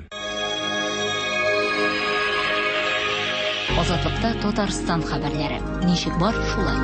Азатлыкта Татарстан хәбәрләре. Ничек бар, шулай.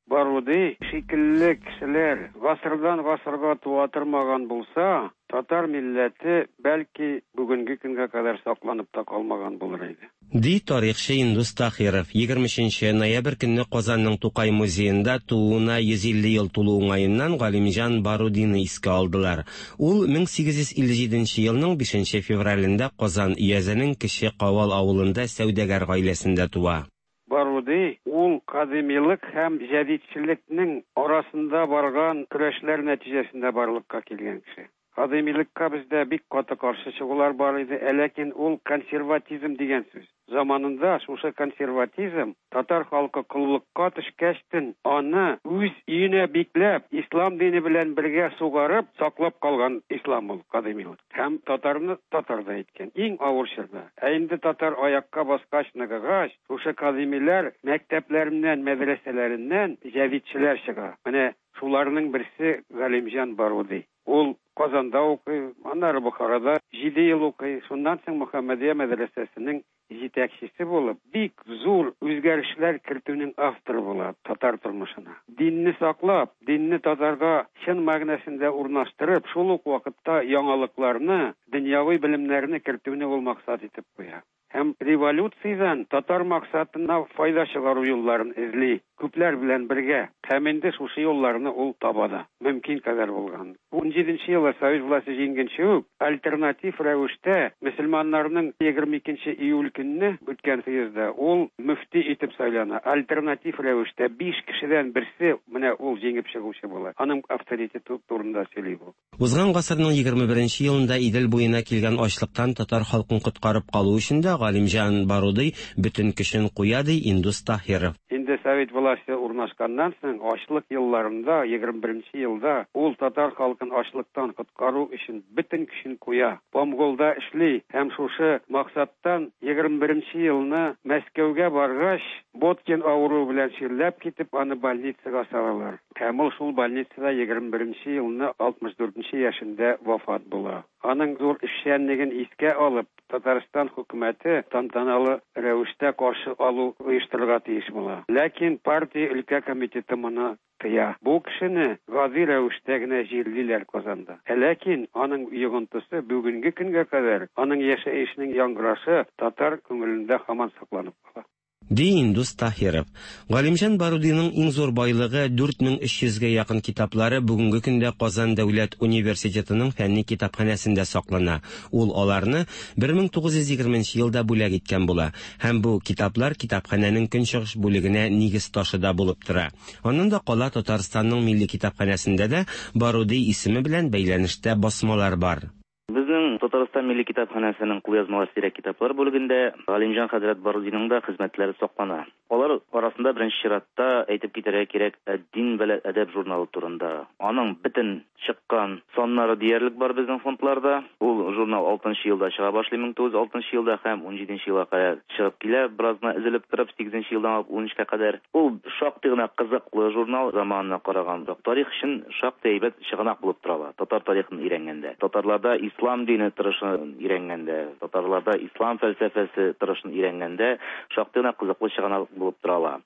Баруди шикелле кешеләр гасырдан гасырга туа тормаган булса, татар милләте, бәлки, бүгенге көнгә кадәр сакланып та калмаган булыр иде. Ди тарихчы Индус Таһиров. 23 ноябрь көнне Казанның Тукай музеенда тууына 150 ел тулу уңаеннан Галимҗан Барудины искә алдылар. Ул 1857 елның 5 февралендә Казан өязенең Кече Кавал авылында сәүдәгәр гаиләсендә туа. Баруди ул кадимилык һәм җәдитчелекнең арасында барган көрәшләр нәтиҗәсендә барлыкка килгән кеше. Кадыймилыкка бездә бик каты каршы чыгулар бар иде, ә ләкин ул консерватизм дигән сүз. Заманында шушы консерватизм татар халкы коллыкка төшкәчтен аны үз өенә бикләп, ислам дине белән бергә сугарып саклап калган ислам ул кадыймилык. Һәм татарны татар да иткән. Иң авыр чорда. Ә инде татар аякка баскач, ныгыгач, шушы кадыймиләр мәктәпләреннән, мәдрәсәләреннән җәдитчеләр чыга. Менә шуларның берсе Галимҗан Баруди. Ул Казанда укый, аннары Бохарада җиде ел укый. Шуннан соң Мөхәммәдия мәдрәсәсенең җитәкчесе булып, бик зур үзгәрешләр кертүнең авторы була татар тормышына. Динне саклап, динне татарга чын мәгънәсендә урнаштырып, шул ук вакытта яңалыкларны, дөньяви белемнәрне кертүне ул максат итеп куя. Һәм революциядән татар максатына файда чыгару юлларын эзли, күпләр белән бергә. Һәм инде шушы юлларны ул таба да. Мөмкин кадәр булган. Унҗиденче елда совет власте җиңгәнче үк, альтернатив рәвештә мөселманнарның 22 июль көнне үткән съездда ул мөфти итеп сайлана. Альтернатив рәвештә биш кешедән берсе менә ул җиңеп чыгучы була. Аның авторитеты турында сөйли бу. Узган гасырның 21 нче елында Идел буена килгән ачлыктан татар халкын коткарып калу өчен дә Галимҗан Барудый бөтен көчен куя, ди Индус Таһиров. Инде совет власте урнашканнан соң, ачлык елларында, 21 нче елда ул татар халкын ачлыктан коткару өчен бөтен көчен куя. Помголда эшли һәм шушы максаттан 21 нче елны Мәскәүгә баргач, Боткин авыруы белән чирләп китеп, аны больницага салалар. Һәм ул шул больницада 21 нче елны 64 нче яшендә вафат була. Аның зур эшчәнлеген искә алып, Татарстан хөкүмәте тантаналы рәвештә каршы алу оештырырга тиеш була. Ләкин партия өлкә комитеты моны тыя. Бу кешене гади рәвештә генә җирлиләр Казанда. Ә ләкин аның йогынтысы бүгенге көнгә кадәр, аның яшәешенең яңгырашы татар күңелендә һаман сакланып кала. Ди Индус Таһиров. Галимҗан Барудиның иң зур байлыгы, 4300 гә якын китаплары бүгенге көндә Казан дәүләт университетының фәнни китапханәсендә саклана. Ул аларны 1920 нче елда бүләк иткән була. Һәм бу китаплар китапханәнең көнчыгыш бүлегенә нигез ташы да булып тора. Аннан да кала Татарстанның Милли китапханәсендә дә Баруди исеме белән бәйләнештә басмалар бар. Безнең Татарстан Милли китапханәсенең кулъязмалар сирәк китаплар бүлегендә Галимҗан хәзрәт Барудиның да хезмәтләре саклана. Алар арасында беренче чиратта әйтеп китәргә кирәк Әд-дин вәл әдәб журналы турында. Аның бөтен чыккан саннары диярлек бар безнең фондларда. Ул журнал алтынчы елда чыга башлый, 1906 нчы елда һәм унҗиденче елга кадәр чыгып килә, бераз гына өзелеп торып, сигезенче елдан алып унөчкә кадәр. Ул шактый гына кызыклы журнал, заманына караганда. Тарих өчен шактый әйбәт чыганак булып тора ала, татар тарихын өйрәнгәндә, татарларда ислам дине торышын өйрәнгәндә, татарларда ислам фәлсәфәсе торышын өйрәнгәндә шактый гына кызыклы чыганак булып тора ала.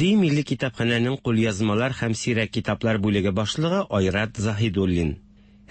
Ди Милли китапханәнең кулъязмалар һәм сирәк китаплар бүлеге башлыгы Айрат Заһидуллин.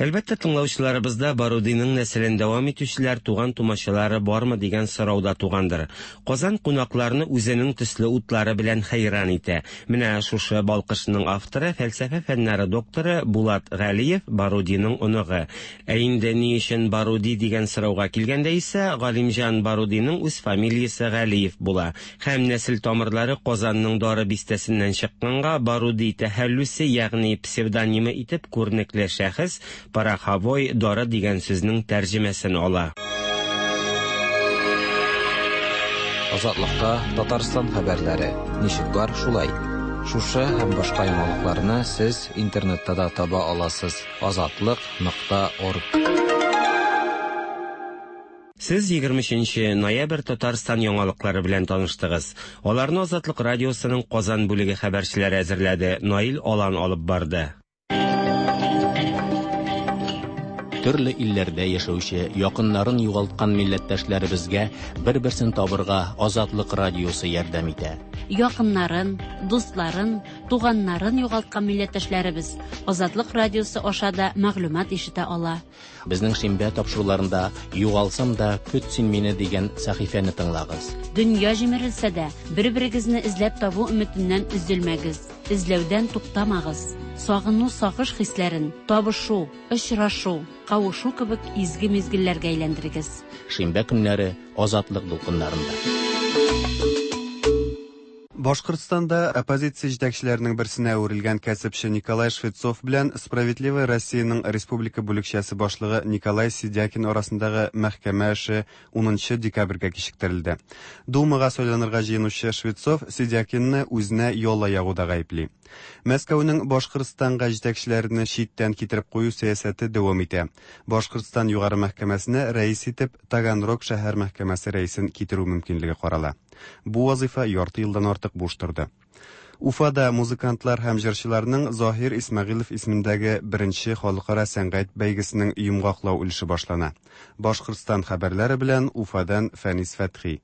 Әлбәттә, тыңлаучыларыбызда Барудиның нәселен дәвам итүчеләр, туган-тумачалары бармы дигән сорау да тугандыр. Казан кунакларны үзенең төсле утлары белән хәйран итә. Менә шушы балкышның авторы, фәлсәфә фәннәре докторы Булат Галиев, Барудиның оныгы. Ә инде ни өчен Баруди дигән сорауга килгәндә исә, Галимҗан Барудиның үз фамилиясе Галиев була. Һәм нәсел тамырлары Казанның Дары бистәсеннән чыкканга, Баруди тәхәллүсе, ягъни псевдонимы итеп күренекле шәхес Пороховой дары дигән сүзнең тәрҗемәсен ала. Азатлыкта Татарстан хәбәрләре ничек бар, шулай. Шушы һәм башка яңалыкларны сез интернетта да таба аласыз, азатлык нокта орг. Сез 23 нче ноябрь Татарстан яңалыклары белән таныштыгыз. Аларны Азатлык радиосының Казан бүлеге хәбәрчеләре әзерләде, Наил Алан алып барды. Төрле илләрдә яшәүче, якыннарын югалткан милләттәшләребезгә бер-берсен табырга Азатлык радиосы ярдәм итә. Якыннарын, дусларын, туганнарын югалткан милләттәшләребез Азатлык радиосы аша да мәгълүмат ишетә ала. Безнең шимбә тапшыруларында Югалсам да, көт син мине дигән сәхифәне тыңлагыз. Дөнья җимерелсә дә, бер-берегезне эзләп табу өметеннән өзелмәгез, эзләүдән туктамагыз. Сагыну, сагыш хисләрен табышу, очрашу, кавышу кебек изге мизгелләргә әйләндерегез. Шимбә көннәре Азатлык дулкыннарында. Башкортстанда оппозиция җитәкчеләренең берсенә әверелгән кәсепче Николай Швецов белән Справедливая Россия ның республика бүлекчәсе башлыгы Николай Сидякин арасындагы мәхкәмә эше унынчы декабрьгә кичектерелде. Думага сайланырга җыенучы Швецов Сидякинны үзенә яла ягуда гаепли. Мәскәүнең Башкортстанга җитәкчеләрне читтән китереп кую сәясәте дәвам итә. Башкортстан Югары мәхкәмәсенә рәис итеп Таганрог шәһәр мәхкәмәсе рәисен китерү мөмкинлеге карала. Бу вазыйфа ярты елдан артык буш торды. Уфада музыкантлар һәм җырчыларның Заһир Исмәгыйлов исемендәге беренче халыкара сәнгать бәйгесенең йомгаклау өлеше башлана. Башкортстан хәбәрләре белән Уфадан Фәнис Фәтхи.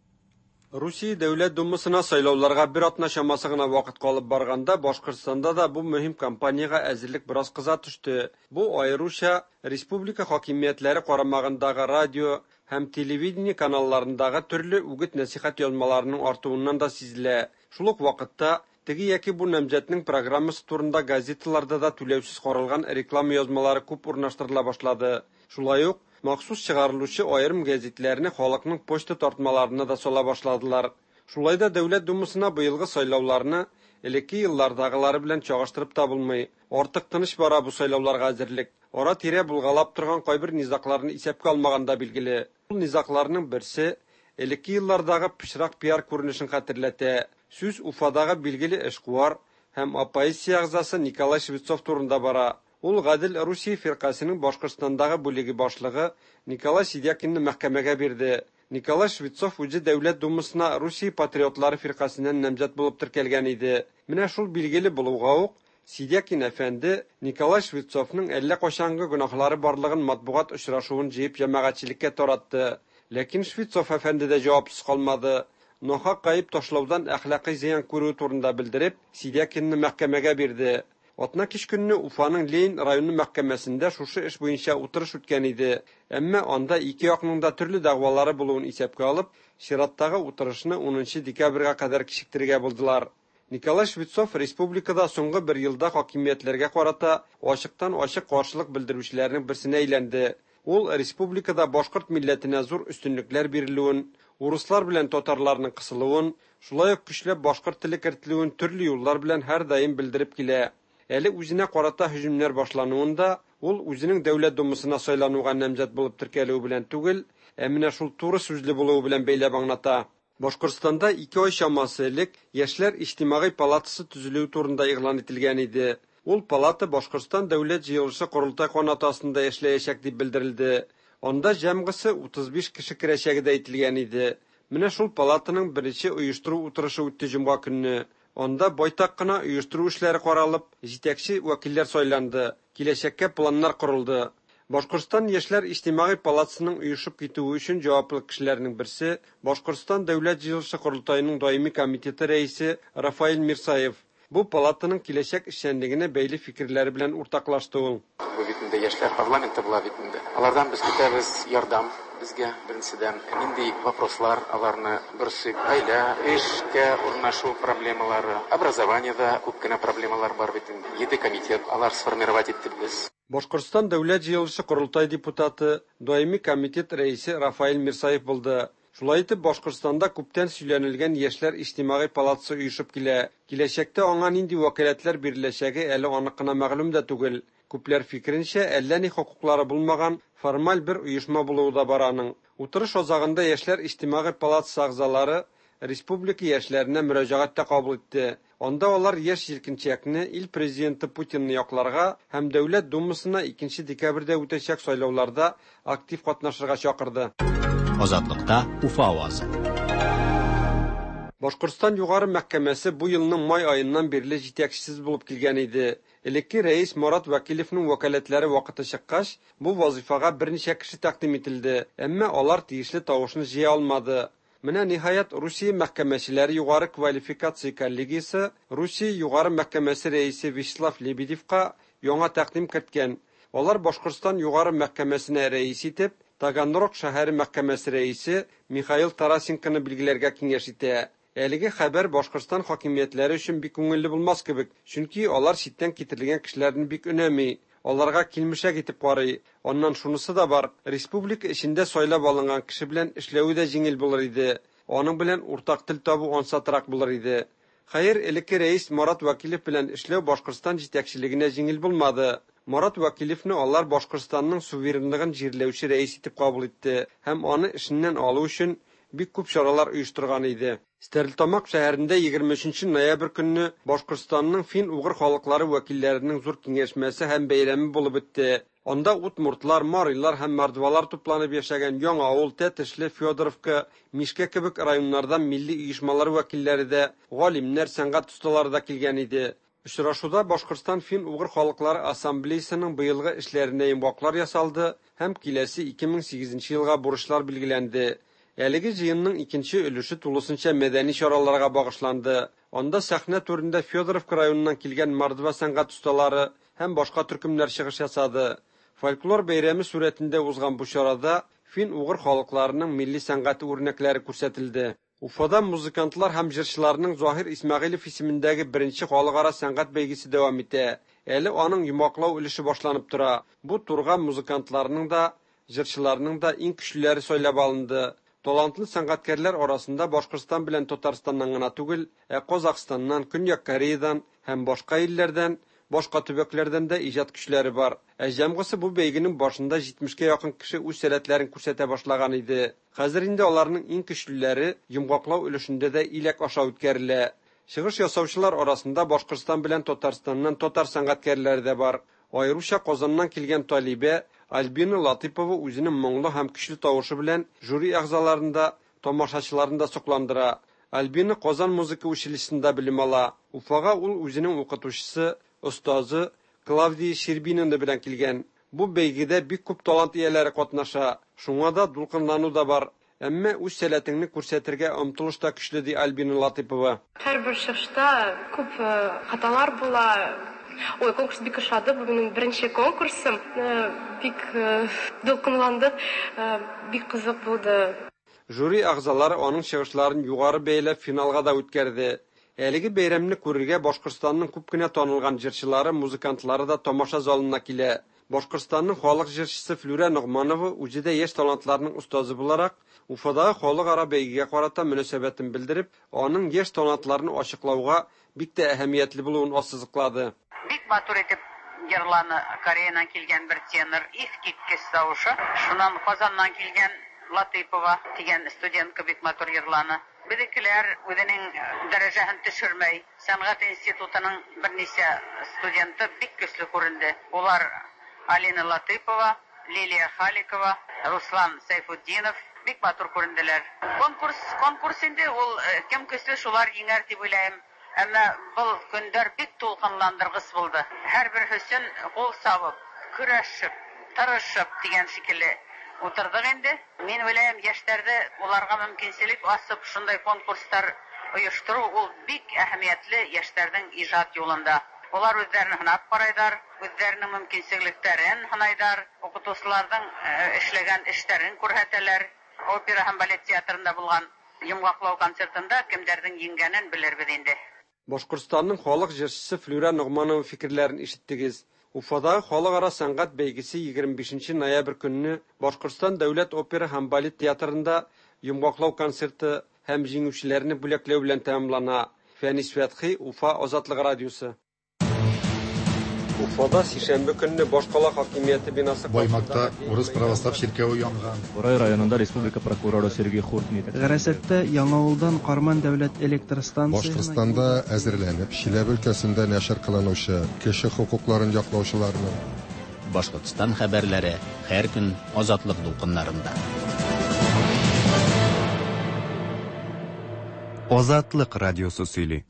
Русия Дәүләт Думасына сайлауларга бер атна чамасы гына вакыт калып барганда Башкортстанда да бу мөһим кампаниягә әзерлек бераз кыза төште. Бу аеруча республика хакимиятләре карамагындагы радио һәм телевидение каналларындагы төрле үгет-нәсыйхәт язмаларының артуыннан да сизелә. Шул ук вакытта, теге яки бу намзәтнең программасы турында газеталарда да түләүсез каралган реклама язмалары күп урнаштырыла башлады. Шулай ук, махсус чыгарылучы аерым гәзитләрне халыкның почта тартмаларына да сала башладылар. Шулай да Дәүләт Думасына быелгы сайлауларны элекке еллардагылары белән чагыштырып та булмый. Артык тыныч бара бу сайлауларга әзерлек. Ара-тирә булгалап торган кайбер низагларны исәпкә алмаганда билгеле. Ул низагларның берсе элекке еллардагы пычрак пиар күренешен хәтерләтә. Сүз Уфадагы билгеле эшкуар һәм оппозиция әгъзасы Николай Швецов турында бара. Ул Гадел Русия фиркасенең Башкортстандагы бүлеге башлыгы Николай Сидякинны мәхкәмәгә бирде. Николай Швецов үзе Дәүләт Думасына Русия патриотлары фиркасеннән намзәт булып теркәлгән иде. Менә шул билгеле булуга ук Сидякин әфәнде Николай Швецовның әллә кайчангы гөнаһлары барлыгын матбугат очрашуын җыеп җәмәгатьчелеккә таратты. Ләкин Швецов әфәнде дә җавапсыз калмады. Нахак гаеп ташлаудан әхлакый зыян күрүе турында белдереп, Сидякинны мәхкәмәгә бирде. Атна кич көнне Уфаның Ленин районы мәхкәмәсендә шушы эш буенча утырыш үткән иде. Әмма анда ике якның да төрле дәгъвалары булуын исәпкә алып, чираттагы утырышны унынчы декабрьгә кадәр кичектерергә булдылар. Николай Швецов республикада соңгы бер елда хакимиятләргә карата ачыктан-ачык каршылык белдерүчеләрнең берсенә әйләнде. Ул республикада башкорт милләтенә зур өстенлекләр бирелүен, урыслар белән татарларның кысылуын, шулай ук көчләп башкорт теле кертелүен төрле юллар белән һәрдаим белдереп килә. Әле үзенә карата һөҗүмнәр башлануын да ул үзенең Дәүләт Думасына сайлануга намзәт булып теркәлүе белән түгел, ә менә шул туры сүзле булуы белән бәйләп аңлата. Башкортстанда ике ай чамасы элек Яшьләр иҗтимагый палатасы төзелүе турында игълан ителгән иде. Ул палата Башкортстан Дәүләт җыелышы-Корылтай канаты астында эшләячәк дип белдерелде. Анда җәмгысе 35 кеше керәчәге дә әйтелгән иде. Менә шул палатаның беренче оештыру утырышы үтте җомга көнне. Анда байтак кына оештыру эшләре каралып, җитәкче вәкилләр сайланды, киләчәккә планнар корылды. Башкортстан Яшьләр иҗтимагый палатасының оешып китүе өчен җаваплы кешеләрнең берсе, Башкортстан Дәүләт җыелышы-Корылтаеның даими комитеты рәисе Рафаэль Мирсаев. Бу палатаның киләчәк эшчәнлегенә бәйле фикерләре белән уртаклашты ул. Бу бит инде яшьләр парламенты була бит инде. Алардан без көтәбез ярдәм безгә, беренчедән, нинди вопрослар аларны борчый, гаилә, эшкә урнашу проблемалары, образованиедә күп кенә проблемалар бар бит инде. Җиде комитет алар сформировать иттек без. Башкортстан Дәүләт җыелышы-Корылтай депутаты, даими комитет рәисе Рафаэль Мирсаев булды. Шулай итеп, Башкортстанда күптән сөйләнелгән Яшьләр иҗтимагый палатасы оешып килә. Киләчәктә аңа нинди вәкаләтләр биреләчәге әле анык кына мәгълүм дә түгел. Күпләр фикеренчә, әллә ни хокуклары булмаган формаль бер оешма булуы да бар аның. Утырыш азагында Яшьләр иҗтимагый палатасы әгъзалары республика яшьләренә мөрәҗәгать тә кабул итте. Анда алар яшь җилкенчәкне, ил президенты Путинны якларга һәм Дәүләт Думасына 2 декабрьдә үтәчәк сайлауларда актив катнашырга чакырды. Азатлыкта Уфа авазы. Башкортстан Югары мәхкәмәсе бу елның май аеннан бирле җитәкчесез булып килгән иде. Элекке рәис Марат Вәкилевның вәкаләтләре вакыты чыккач, бу вазыйфага берничә кеше тәкъдим ителде, әмма алар тиешле тавышны җыя алмады. Менә ниһаять Русия мәхкәмәчеләре югары квалификация коллегиясе Русия Югары мәхкәмәсе рәисе Вячеслав Лебедевка яңа тәкъдим керткән. Алар Башкортстан Югары мәхкәмәсенә рәис итеп Таганрог шәһәре мәхкәмәсе рәисе Михаил Тарасенконы билгеләргә киңәш итә. Әлеге хәбәр Башкортстан хакимиятләре өчен бик күңелле булмас кебек, чөнки алар читтән китерелгән кешеләрне бик өнәми, аларга килмешәк итеп карый. Аннан шунысы да бар, республика эчендә сайлап алынган кеше белән эшләве дә җиңел булыр иде. Аның белән уртак тел табу ансатрак булыр иде. Хәер, элекке рәис Марат Вәкилев белән эшләү Башкортстан җитәкчелегенә җиңел булмады. Марат Вәкилевне алар Башкортстанның суверенлыгын җирләүче рәис итеп кабул итте һәм аны эшеннән алу өчен бик күп чаралар оештырган иде. Стәрлетамак шәһәрендә 23 ноябрь көнне Башкортстанның фин-угыр халыклары вәкилләренең зур киңәшмәсе һәм бәйрәме булып үтте. Анда удмуртлар, марилар һәм мордвалар тупланып яшәгән Яңавыл, Тәтешле, Федоровка, Мишкә кебек районнардан милли оешмалар вәкилләре дә, галимнәр, сәнгать осталары да килгән иде. Очрашуда Башкортстан фин-угыр халыклары ассамблеясының быелгы эшләренә йомгаклар ясалды һәм киләсе 2008 елга бурычлар билгеләнде. Әлеге җыенның икенче өлеше тулысынча мәдәни чараларга багышланды. Анда сәхнә түрендә Федоровка районыннан килгән мордва сәнгать осталары һәм башка төркемнәр чыгыш ясады. Фольклор бәйрәме сурәтендә узган бу чарада фин-угыр халыкларының милли сәнгате үрнәкләре күрсәтелде. Уфада музыкантлар һәм җырчыларның Заһир Исмәгыйлев исемендәге беренче халыкара сәнгать бәйгесе дәвам итә. Әле аның йомгаклау өлеше башланып тора. Бу турга музыкантларның да, җырчыларның да иң көчлеләре сайлап алынды. Талантлы сәнгатькәрләр арасында Башкортстан белән Татарстаннан гына түгел, ә Казахстаннан, Көньяк Кореядан һәм башка илләрдән, башка төбәкләрдән дә иҗат көчләре бар. Ә җәмгысы бу бәйгенең башында 70кә якын кеше үз сәләтләрен күрсәтә башлаган иде. Хәзер инде аларның иң көчлеләре йомгаклау өлешендә дә иләк аша үткәрелә. Чыгыш ясаучылар арасында Башкортстан белән Татарстаннан татар сәнгатькәрләре дә бар. Аеруча Казаннан килгән талибә Альбина Латыпова үзенең моңлы һәм көчле тавышы белән жюри әгъзаларын да, тамашачыларын да сокландыра. Альбина Казан музыка училищесында белем ала. Уфага ул үзенең укытучысы, остазы Клавдия Щербинина белән килгән. Бу бәйгедә бик күп талант ияләре катнаша. Шуңа да дулкынлану да бар. Әмма үз сәләтеңне күрсәтергә омтылыш та көчле, ди Альбина Латыпова. Һәрбер чыгышта күп хаталар була. Ой, конкурс бик ошады. Бу минем беренче конкурсым. Бик дулкынландык, бик кызык булды. Жюри әгъзалары аның чыгышларын югары бәяләп финалга да үткәрде. Әлеге бәйрәмне күрергә Башкортстанның күп кенә танылган җырчылары, музыкантлары да тамаша залына килә. Башкортстанның халык җырчысы Флүрә Ногманова үзе дә яшь талантларның остазы буларак, Уфадагы халыкара бәйгегә карата мөнәсәбәтен белдереп, аның яшь талантларны ачыклауга бик тә әһәмиятле булуын ассызыклады. Бик матур итеп җырланы Кореядан килгән бер тенор, искиткеч тавышы. Шуннан Казаннан килгән Латыйпова дигән студентка бик матур җырланы. Безнекеләр үзенең дәрәҗәһен төшермәй. Сәнгать институтының берничә студенты бик көчле күренде. Улар Алина Латыйпова, Лилия Халикова, Руслан Сәйфутдинов бик матур күренделәр. Конкурс, конкурс инде ул, кем көчле, шулар җиңәр дип уйлыйм. Әмма был көндәр бик тулкынландыргыч булды. Һәрбер өчен кул сабып, көрәшеп, тырышып дигән шикелле утырдык инде. Мин уйлыйм, яшьләрдә уларга мөмкинчелек асып шундай конкурслар оештыру ул бик әһәмиятле яшьләрнең иҗат юлында. Улар үзләрен һынап карайлар, үзләренең мөмкинчелекләрен һынайлар, укытучыларның эшләгән эшләрен күрсәтәләр. Опера һәм балет театрында булган йомгаклау концертында кемдәрнең җиңгәнен белербез инде. Башкортстанның халык җырчысы Флүрә Ногманова фикерләрен ишеттегез. Уфадагы халыкара сәнгать бәйгесе 25 ноябрь көнне Башкортстан дәүләт опера һәм балет театрында йомгаклау концерты һәм җиңүчеләрне бүләкләү белән тәмамлана. Фәнис Фәтхи, Уфа, Азатлык радиосы. Уфада сишәмбе көнне башкала хакимияте бинасы Баймакта урыс православ чиркәве янган. Борай районында республика прокуроры Сергей Хуртин Гарасатта Яңавылдан Карман дәүләт электр станциясенә Башкортстанда әзерләнеп, Чиләбе өлкәсендә нәшер кылынучы кеше хокукларын яклаучыларның Башкортстан хәбәрләре һәр көн Азатлык дулкыннарында. Азатлык радиосы сөйли.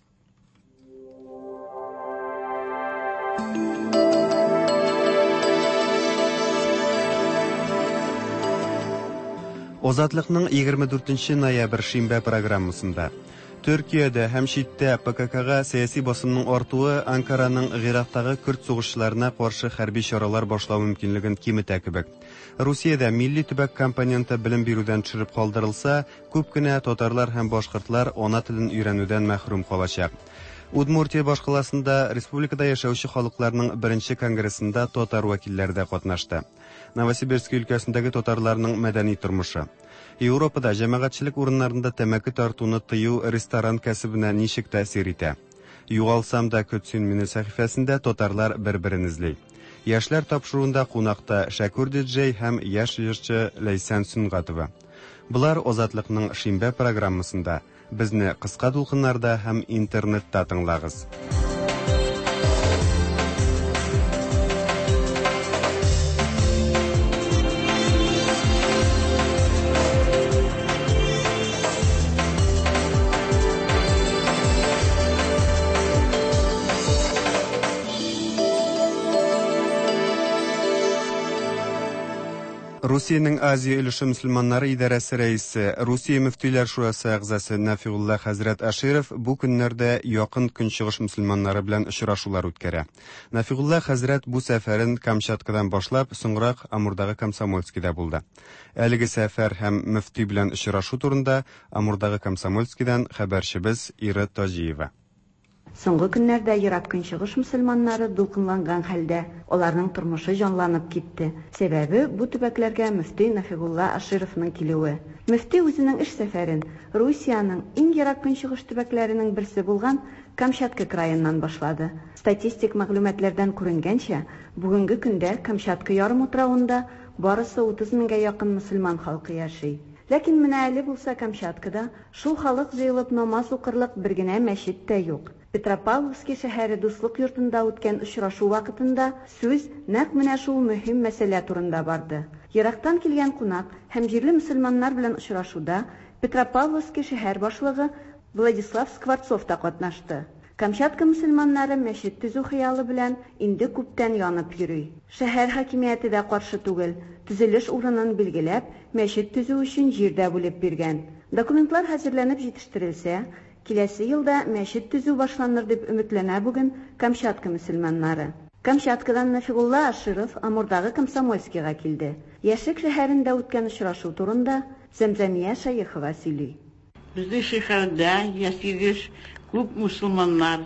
Азатлыкның 24 ноябрь шимбә программасында Төркиядә һәм читтә ПККга сәяси басымның артуы Анкараның Гыйрактагы көрд сугышчыларына каршы хәрби чаралар башлау мөмкинлеген киметә кебек. Русиядә милли төбәк компоненты белем бирүдән төшереп калдырылса, күп кенә татарлар һәм башкортлар ана телен өйрәнүдән мәхрүм калачак. Удмуртия башкаласында республикада яшәүче халыкларның беренче конгрессында татар вәкилләре дә катнашты. Новосибирск өлкәсендәге татарларның мәдәни тормышы. Европада җәмәгатьчелек урыннарында тәмәке тартуны тыю ресторан кәсебенә ничек тәэсир итә? Югалсам да көт син мине сәхифәсендә татарлар бер-берен эзли. Яшьләр тапшыруында кунакта Шәкүр диджей һәм яшь җырчы Ләйсән Сөнгатова. Болар Азатлыкның шимбә программасында. Безне кыска дулкыннарда һәм интернетта тыңлагыз. Русиянең Азия өлеше мөселманнары идарәсе рәисе, Русия мөфтиләр шурасы әгъзасы Нәфигулла хәзрәт Аширов бу көннәрдә Якын Көнчыгыш мөселманнары белән очрашулар үткәрә. Нәфигулла хәзрәт бу сәфәрен Камчаткадан башлап, соңрак Амурдагы Комсомольскида булды. Әлеге сәфәр һәм мөфти белән очрашу турында Амурдагы Комсомольскидан хәбәрчебез Ира Таҗиева. Соңгы көннәрдә Ерак Көнчыгыш мөселманнары дулкынланган хәлдә, аларның тормышы җанланып китте. Сәбәбе, бу төбәкләргә мөфти Нафигулла Ашировның килүе. Мөфти үзенең эш сәфәрен Русиянең иң Ерак Көнчыгыш төбәкләренең берсе булган Камчатка краеннан башлады. Статистик мәгълүматлардан күренгәнчә, бүгенге көндә Камчатка ярымутравында барысы 30 меңгә якын мөселман халкы яши. Ләкин менә әле булса Камчаткада шул халык җыелып намаз укырлык бер генә мәчет тә юк. Петропавловски шәһәре Дуслык йортында үткән очрашу вакытында сүз нәкъ менә шул мөһим мәсьәлә турында барды. Ерактан килгән кунак һәм җирле мөселманнар белән очрашуда Петропавловски шәһәр башлыгы Владислав Скворцов та катнашты. Камчатка мөселманнары мәчет төзү хыялы белән инде күптән янып йөри. Шәһәр хакимияте дә каршы түгел, төзелеш урынын билгеләп, мәчет төзү өчен җир дә бүлеп биргән. Документлар хәзерләнеп җитештерелсә, киләсе елда мәчет төзү башланыр дип өметләнә бүген Камчатка мөселманнары. Камчаткадан Нафигулла Аширов Амурдагы Комсомольскига килде. Яшьлек шәһәрендә үткән очрашу турында Зәмзәмия Шәехова сөйли. Безнең шәһәрдә яшибез күп мусулманнар.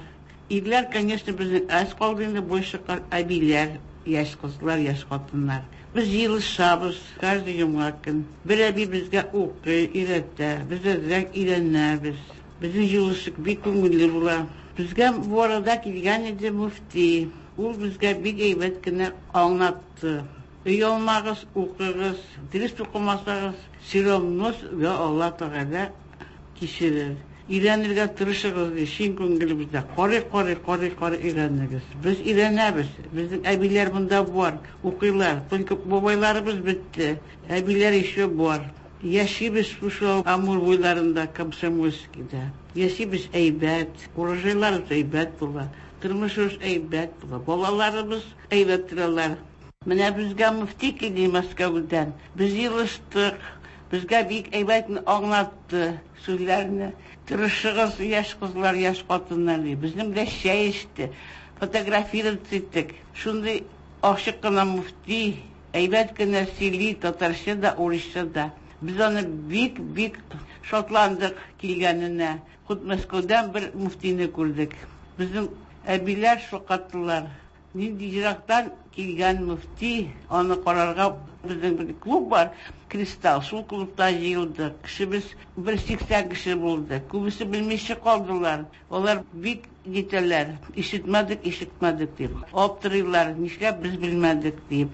Ирләр, конечно, безнең әз калды инде, больше әбиләр, яшь кызлар, яшь хатыннар. Без җыелышабыз каждый җомга көн. Бер әби безгә укый, өйрәтә, без әзрәк өйрәнәбез. Безнең җыелыш бик күңелле була. Безгә бу арада килгән иде мөфти. Ул безгә бик әйбәт кенә аңлатты. Оялмагыз, укыгыз, дөрес укымасагыз, все равно сезгә Алла Тәгалә кичерер. Өйрәнергә тырышыгыз, ди, чын күңелебездә. Карый-карый, карый-карый өйрәнегез. Без өйрәнәбез. Безнең әбиләр монда бар, укыйлар. Только бабайларыбыз бетте, әбиләр еще бар. Яшибез шушы Амур буйларында, Комсомольскийда. Яшибез әйбәт, урожайларыбыз әйбәт була, тормышыбыз әйбәт була, балаларыбыз әйбәт торалар. Менә безгә мөфти килде Мәскәүдән. Без җыелыштык. Безгә бик әйбәт аңлатты сүзләрне. Тырышыгыз, яшь кызлар, яшь хатыннар, ди. Безнең белән чәй эчте. Фотографироваться иттек. Шундый ачык кына мөфти, әйбәт кенә сөйли, татарча да, урысча да. Без аны бик-бик шатландык килгәненә. Хут Мәскәүдән бер мөфтине күрдек. Безнең әбиләр шаккаттылар. Нинди ерактан килгән мөфти, аны карарга безнең бер клуб бар, Кристалл, шул клубта җыелдык. Кешебез бер 80 кеше булды. Күбесе белмичә калдылар. Алар бик нитәләр, ишетмәдек, ишетмәдек дип. Аптырыйлар, нишләп без белмәдек дип.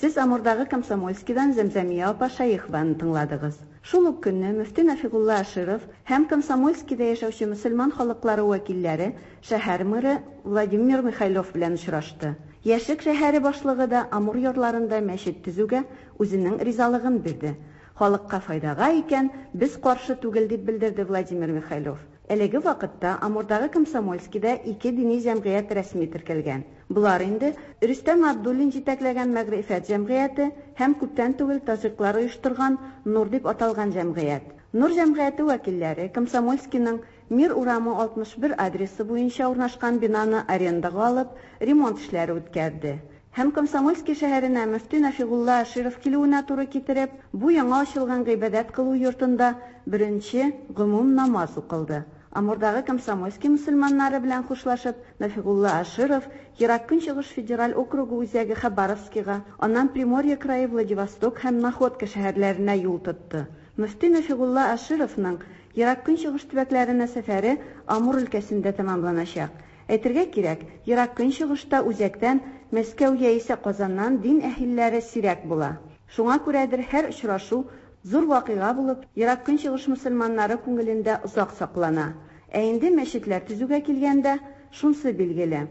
Сез Амурдагы Комсомольскидан Зәмзәмия апа Шәехованы тыңладыгыз. Шул ук көнне мөфти Нафигулла Аширов һәм Комсомольскида яшәүче мөселман халыклары вәкилләре шәһәр мэры Владимир Михайлов белән очрашты. Яшьлек шәһәре башлыгы да Амур ярларында мәчет төзүгә үзенең ризалыгын бирде. Халыкка файдага икән, без каршы түгел, дип белдерде Владимир Михайлов. Әлеге вакытта Амурдагы Комсомольскида ике дини җәмгыять рәсми теркәлгән. Болар инде Рөстәм Абдуллин җитәкләгән Мәгърифәт җәмгыяте һәм күптән түгел таҗиклар оештырган Нур дип аталган җәмгыять. Нур җәмгыяте вәкилләре Комсомольскиның Мир урамы 61 адресы буенча урнашкан бинаны арендага алып, ремонт эшләре үткәрде. Һәм Комсомольски шәһәренә мөфти Нафигулла Аширов килүенә туры китереп, бу яңа ачылган гыйбадәт кылу йортында беренче гомум намаз укылды. Амурдагы Комсомольский мөселманнары белән хушлашып, Нафигулла Аширов Ерак Көнчыгыш федераль округы үзәге Хабаровскига, аннан Приморье крае Владивосток һәм Находка шәһәрләренә юл тотты. Мөфти Нафигулла Ашировның Ерак Көнчыгыш төбәкләренә сәфәре Амур өлкәсендә тәмамланачак. Әйтергә кирәк, Ерак Көнчыгышта үзәктән, Мәскәү яисә Казаннан дин әһелләре сирәк була. Шуңа күрәдер һәр очрашу зур вакыйга булып, Ерак Көнчыгыш мөселманнары күңелендә озак саклана. Ә инде мәчетләр төзүгә килгәндә, шунсы билгеле.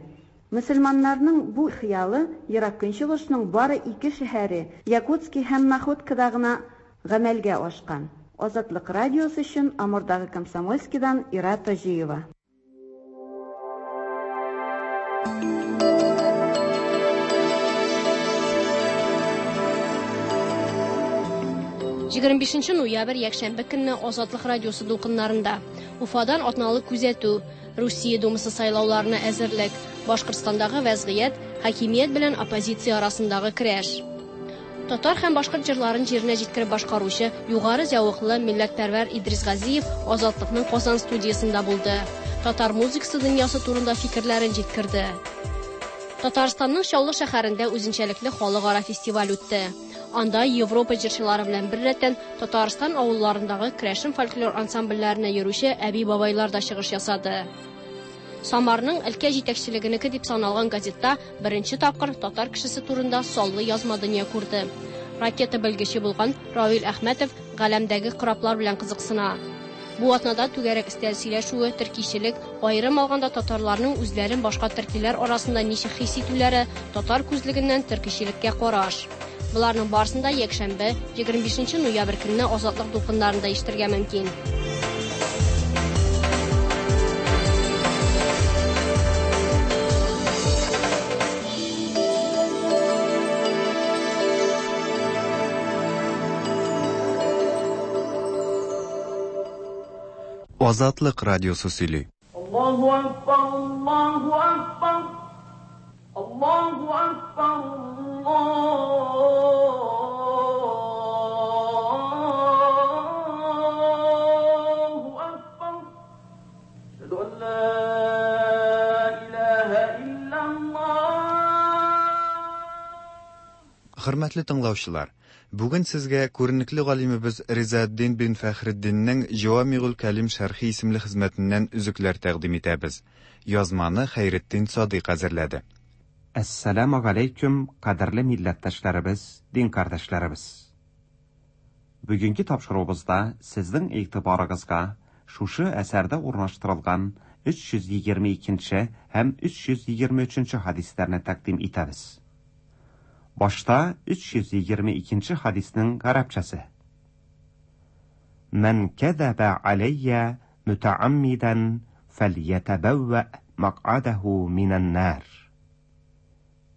Мөселманнарның бу хыялы Ерак Көнчыгышның бары ике шәһәре, Якутски һәм Находкада гына гамәлгә ашкан. Азатлык радиосы өчен Амурдагы Комсомольскидан Ира Таҗиева. 25 ноябрь якшәмбе көнне Азатлык радиосы дулкыннарында Уфадан атналык күзәтү, Русия Думасы сайлауларына әзерлек, Башкортстандагы вәзгыять, хакимият белән оппозиция арасындагы көрәш. Татар һәм башкорт җырларын җиренә җиткереп башкаручы югары зәвыклы милләтпәрвәр Идрис Газиев Азатлыкның Казан студиясендә булды. Татар музыкасы дөньясы турында фикерләрен җиткерде. Татарстанның Чаллы шәһәрендә үзенчәлекле халыкара фестиваль үтте. Анда Европа җырчылары белән беррәттән Татарстан авылларындагы керәшен фольклор ансамбльләренә йөрүче әби-бабайлар да чыгыш ясады. Самарның өлкә җитәкчелегенеке дип саналган газетта беренче тапкыр татар кешесе турында саллы язма дөнья күрде. Ракета белгече булган Равил Әхмәтов галәмдәге кораблар белән кызыксына. Бу атнада түгәрәк өстәл сөйләшүе, төркичелек, аерым алганда татарларның үзләрен башка төркиләр арасында ничек хис итүләре, татар күзлегеннән төркичелеккә караш. Боларның барысын да якшәмбе, 25 ноябрь көнне Азатлык дулкыннарында ишетергә мөмкин. Азатлык радиосы сөйли. Аллаһу акбар, Аллаһу акбар, Аллаһу акбар, Аллаһу акбар. Әшһәду ан ла илаһа иллаллаһ. Хөрмәтле тыңлаучылар, бүген сезгә күренекле галимебез Ризаэддин бин Фәхретдиннең Җавамигул Кәлим шәрхи исемле хезмәтеннән өзекләр тәкъдим итәбез. Язманы Хәйретдин Садыйк әзерләде. Әссәламү галәйкүм, кадерле милләттәшләребез, дин кардәшләребез! Бүгенге тапшыруыбызда сезнең игътибарыгызга шушы әсәрдә урнаштырылган 322 нче һәм 323 нче хәдисләрне тәкъдим итәбез. Башта 322 нче хәдиснең гарәпчәсе. Мән кәзәбә аләйя мөтәаммидән фәльятәбәүвә мәкъадәһу минән-нар.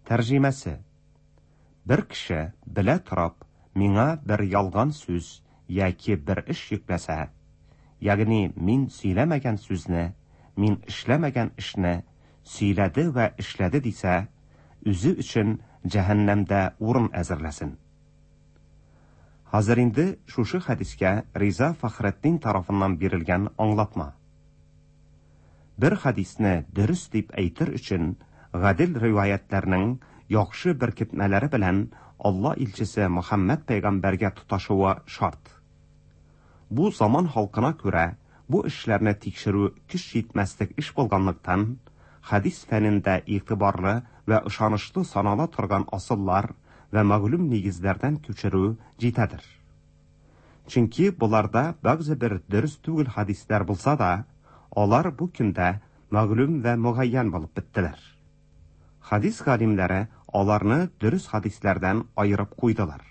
Тәрҗемәсе. Бер кеше белә торып миңа бер ялган сүз яки бер эш йөкләсә, ягъни мин сөйләмәгән сүзне, мин эшләмәгән эшне сөйләде вә эшләде дисә, үзе өчен җәһәннәмдә урын әзерләсен. Хәзер инде шушы хәдискә Риза Фәхретдин тарафыннан бирелгән аңлатма. Бер хәдисне дөрес дип әйтер өчен гадел риваятьләрнең яхшы беркетмәләре белән Алла илчесе Мөхәммәд пәйгамбәргә тоташуы шарт. Бу заман халкына күрә бу эшләрне тикшерү көч җитмәслек эш булганлыктан, хәдис фәнендә игътибарлы вә ышанычлы санала торган асыллар вә мәгълүм нигезләрдән күчерү җитәдер. Чөнки боларда бәгъзе бер дөрес түгел хәдисләр булса да, алар бу көндә мәгълүм вә мөгайян булып беттеләр. Хәдис галимнәре аларны дөрес хәдисләрдән аерып куйдылар.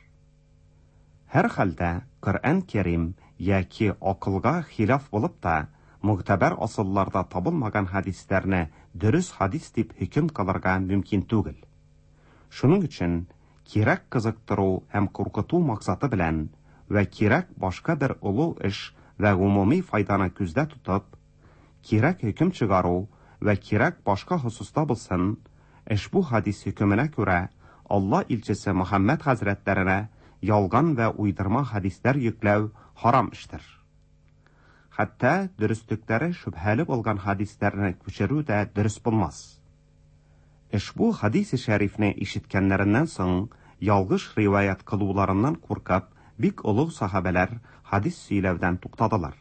Һәрхәлдә, Коръән Кәрим яки акылга хилаф булып та, могтәбәр асылларда табылмаган хәдисләрне дөрес хәдис дип хөкем кылырга мөмкин түгел. Шуның өчен кирәк кызыктыру һәм куркыту максаты белән вә кирәк башка бер олуг эш вә гомуми файданы күздә тотып, кирәк хөкем чыгару вә кирәк башка хосуста булсын, ошбу хәдис хөкеменә күрә, Алла илчесе Мөхәммәд хәзрәтләренә ялган вә уйдырма хәдисләр йөкләү харам эштер. Хәтта дөреслекләре шөбһәле булган хәдисләрне күчерү дә дөрес булмас. Ошбу хәдисе шәрифне ишеткәннәреннән соң, ялгыш риваять кылуларыннан куркып, бик олуг сахабәләр хәдис сөйләүдән туктадылар.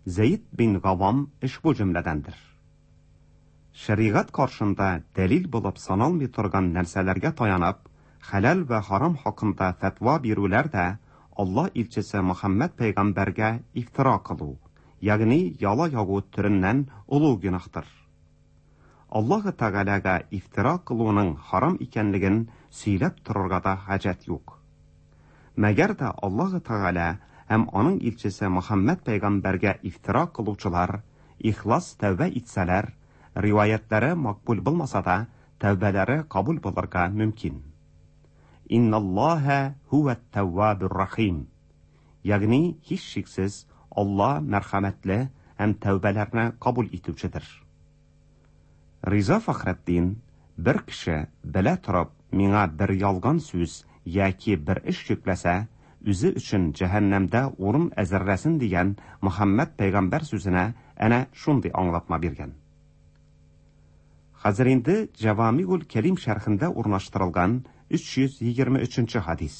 Зәед бин Гавам ошбу җөмләдәндер. Шәригать каршында дәлил булып саналмый торган нәрсәләргә таянып, хәләл вә харам хакында фәтва бирүләр дә Алла илчесе Мөхәммәд пәйгамбәргә ифтира кылу, ягъни яла ягу төреннән олуг гөнаһтыр. Аллаһы Тәгаләгә ифтира кылуның харам икәнлеген сөйләп торырга да хаҗәт юк. Мәгәр дә Аллаһы Тәгалә һәм аның илчесе Мөхәммәд пәйгамбәргә ифтира кылучылар ихлас тәүбә итсәләр, риваятьләре макбул булмаса да, тәүбәләре кабул булырга мөмкин. Инналлаһа һүвәт-тәввабур рахим. Ягъни, һичшиксез, Алла мәрхәмәтле һәм тәүбәләрне кабул итүчедер. Риза Фәхретдин, бер кеше, белә торып, миңа бер ялган сүз яки бер эш йөкләсә, үзе өчен җәһәннәмдә урын әзерләсен дигән Мөхәммәд пәйгамбәр сүзенә әнә шундый аңлатма биргән. Хәзер инде Җәвамигуль Кәлим шәрхендә урнаштырылган 323 нче хәдис.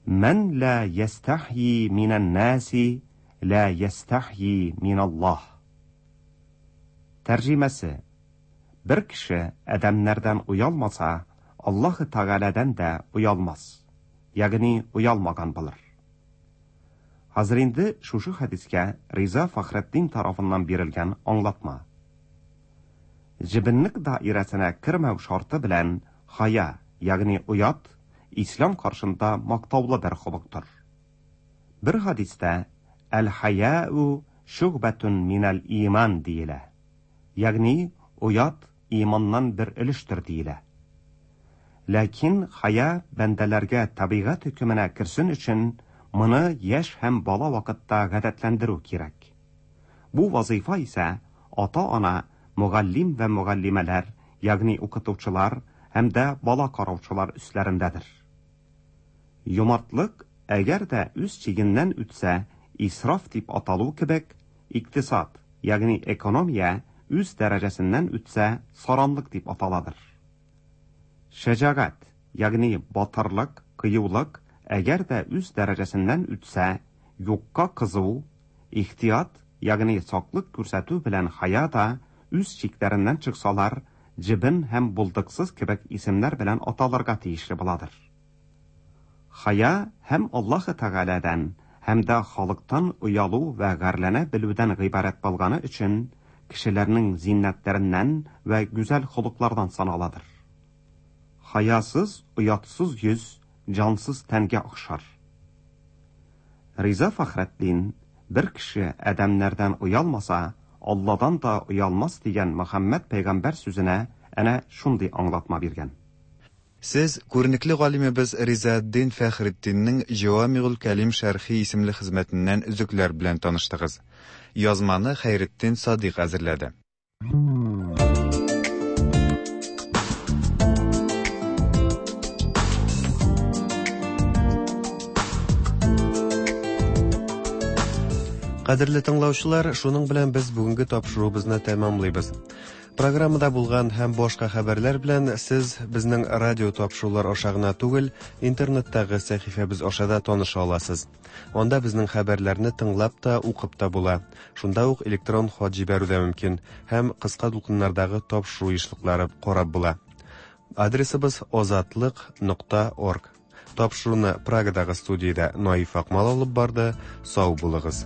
Мән лә ястәхйи минән нәси, лә ястәхйи миналлаһ. Тәрҗемәсе, Бер кеше адәмнәрдән оялмаса, Аллаһы Тәгаләдән дә оялмас, ягъни оялмаган булыр. Хәзер инде шушы хәдискә Риза Фәхретдин тарафыннан бирелгән аңлатма. Җебенлек даирәсенә кермәү шарты белән хая, ягъни оят, ислам каршында мактаулы бер холыктыр. Бер хәдистә Әл-хаяу шугбәтун минәл иман диелә. Ягъни оят иманнан бер өлештер диелә. Ләкин хая бәндәләргә табигать хөкеменә керсен өчен моны яшь һәм бала вакытта гадәтләндерү кирәк. Бу вазыйфа исә ата-ана, мөгаллим вә мөгаллимәләр, ягъни укытучылар һәм дә бала караучылар өсләрендәдер. Юмартлык, әгәр дә үз чигеннән үтсә, исраф дип аталу кебек, икътисад, ягъни экономия үз дәрәҗәсеннән үтсә, саранлык дип аталадыр. Шәҗәгать, ягъни батырлык, кыюлык, әгәр дә үз дәрәҗәсеннән үтсә, юкка кызу, ихтият, ягъни саклык күрсәтү белән хая да үз чикләреннән чыксалар, җебен һәм булдыксыз кебек исемнәр белән аталырга тиешле буладыр. Хая һәм Аллаһы Тәгаләдән, һәм дә халыктан оялу вә гарьләнә белүдән гыйбарәт булганы өчен, кешеләрнең зиннәтләреннән вә гүзәл холыклардан саналадыр. Хаясыз, оятсыз йөз җансыз тәнгә охшар. Риза Фәхретдин, Бер кеше адәмнәрдән оялмаса, Алладан да оялмас дигән Мөхәммәд пәйгамбәр сүзенә әнә шундый аңлатма биргән. Сез күренекле галимебез Ризаэтдин Фәхретдиннең Җәвамигуль кәлим шәрхи исемле хезмәтеннән өзекләр белән таныштыгыз. Язманы Хәйретдин Садыйк әзерләде. Кадерле тыңлаучылар, шуның белән без бүгенге тапшыруыбызны тәмамлыйбыз. Программада булган һәм башка хәбәрләр белән сез безнең радио тапшырулар аша гына түгел, интернеттагы сәхифәбез аша да таныша аласыз. Анда безнең хәбәрләрне тыңлап та, укып та була. Шунда ук электрон хат җибәрү дә мөмкин һәм кыска дулкыннардагы тапшыру ешлыклары карап була. Адресыбыз озатлык нокта орг. Тапшыруны Прагадагы студиядә Наиф Акмал алып барды. Сау булыгыз.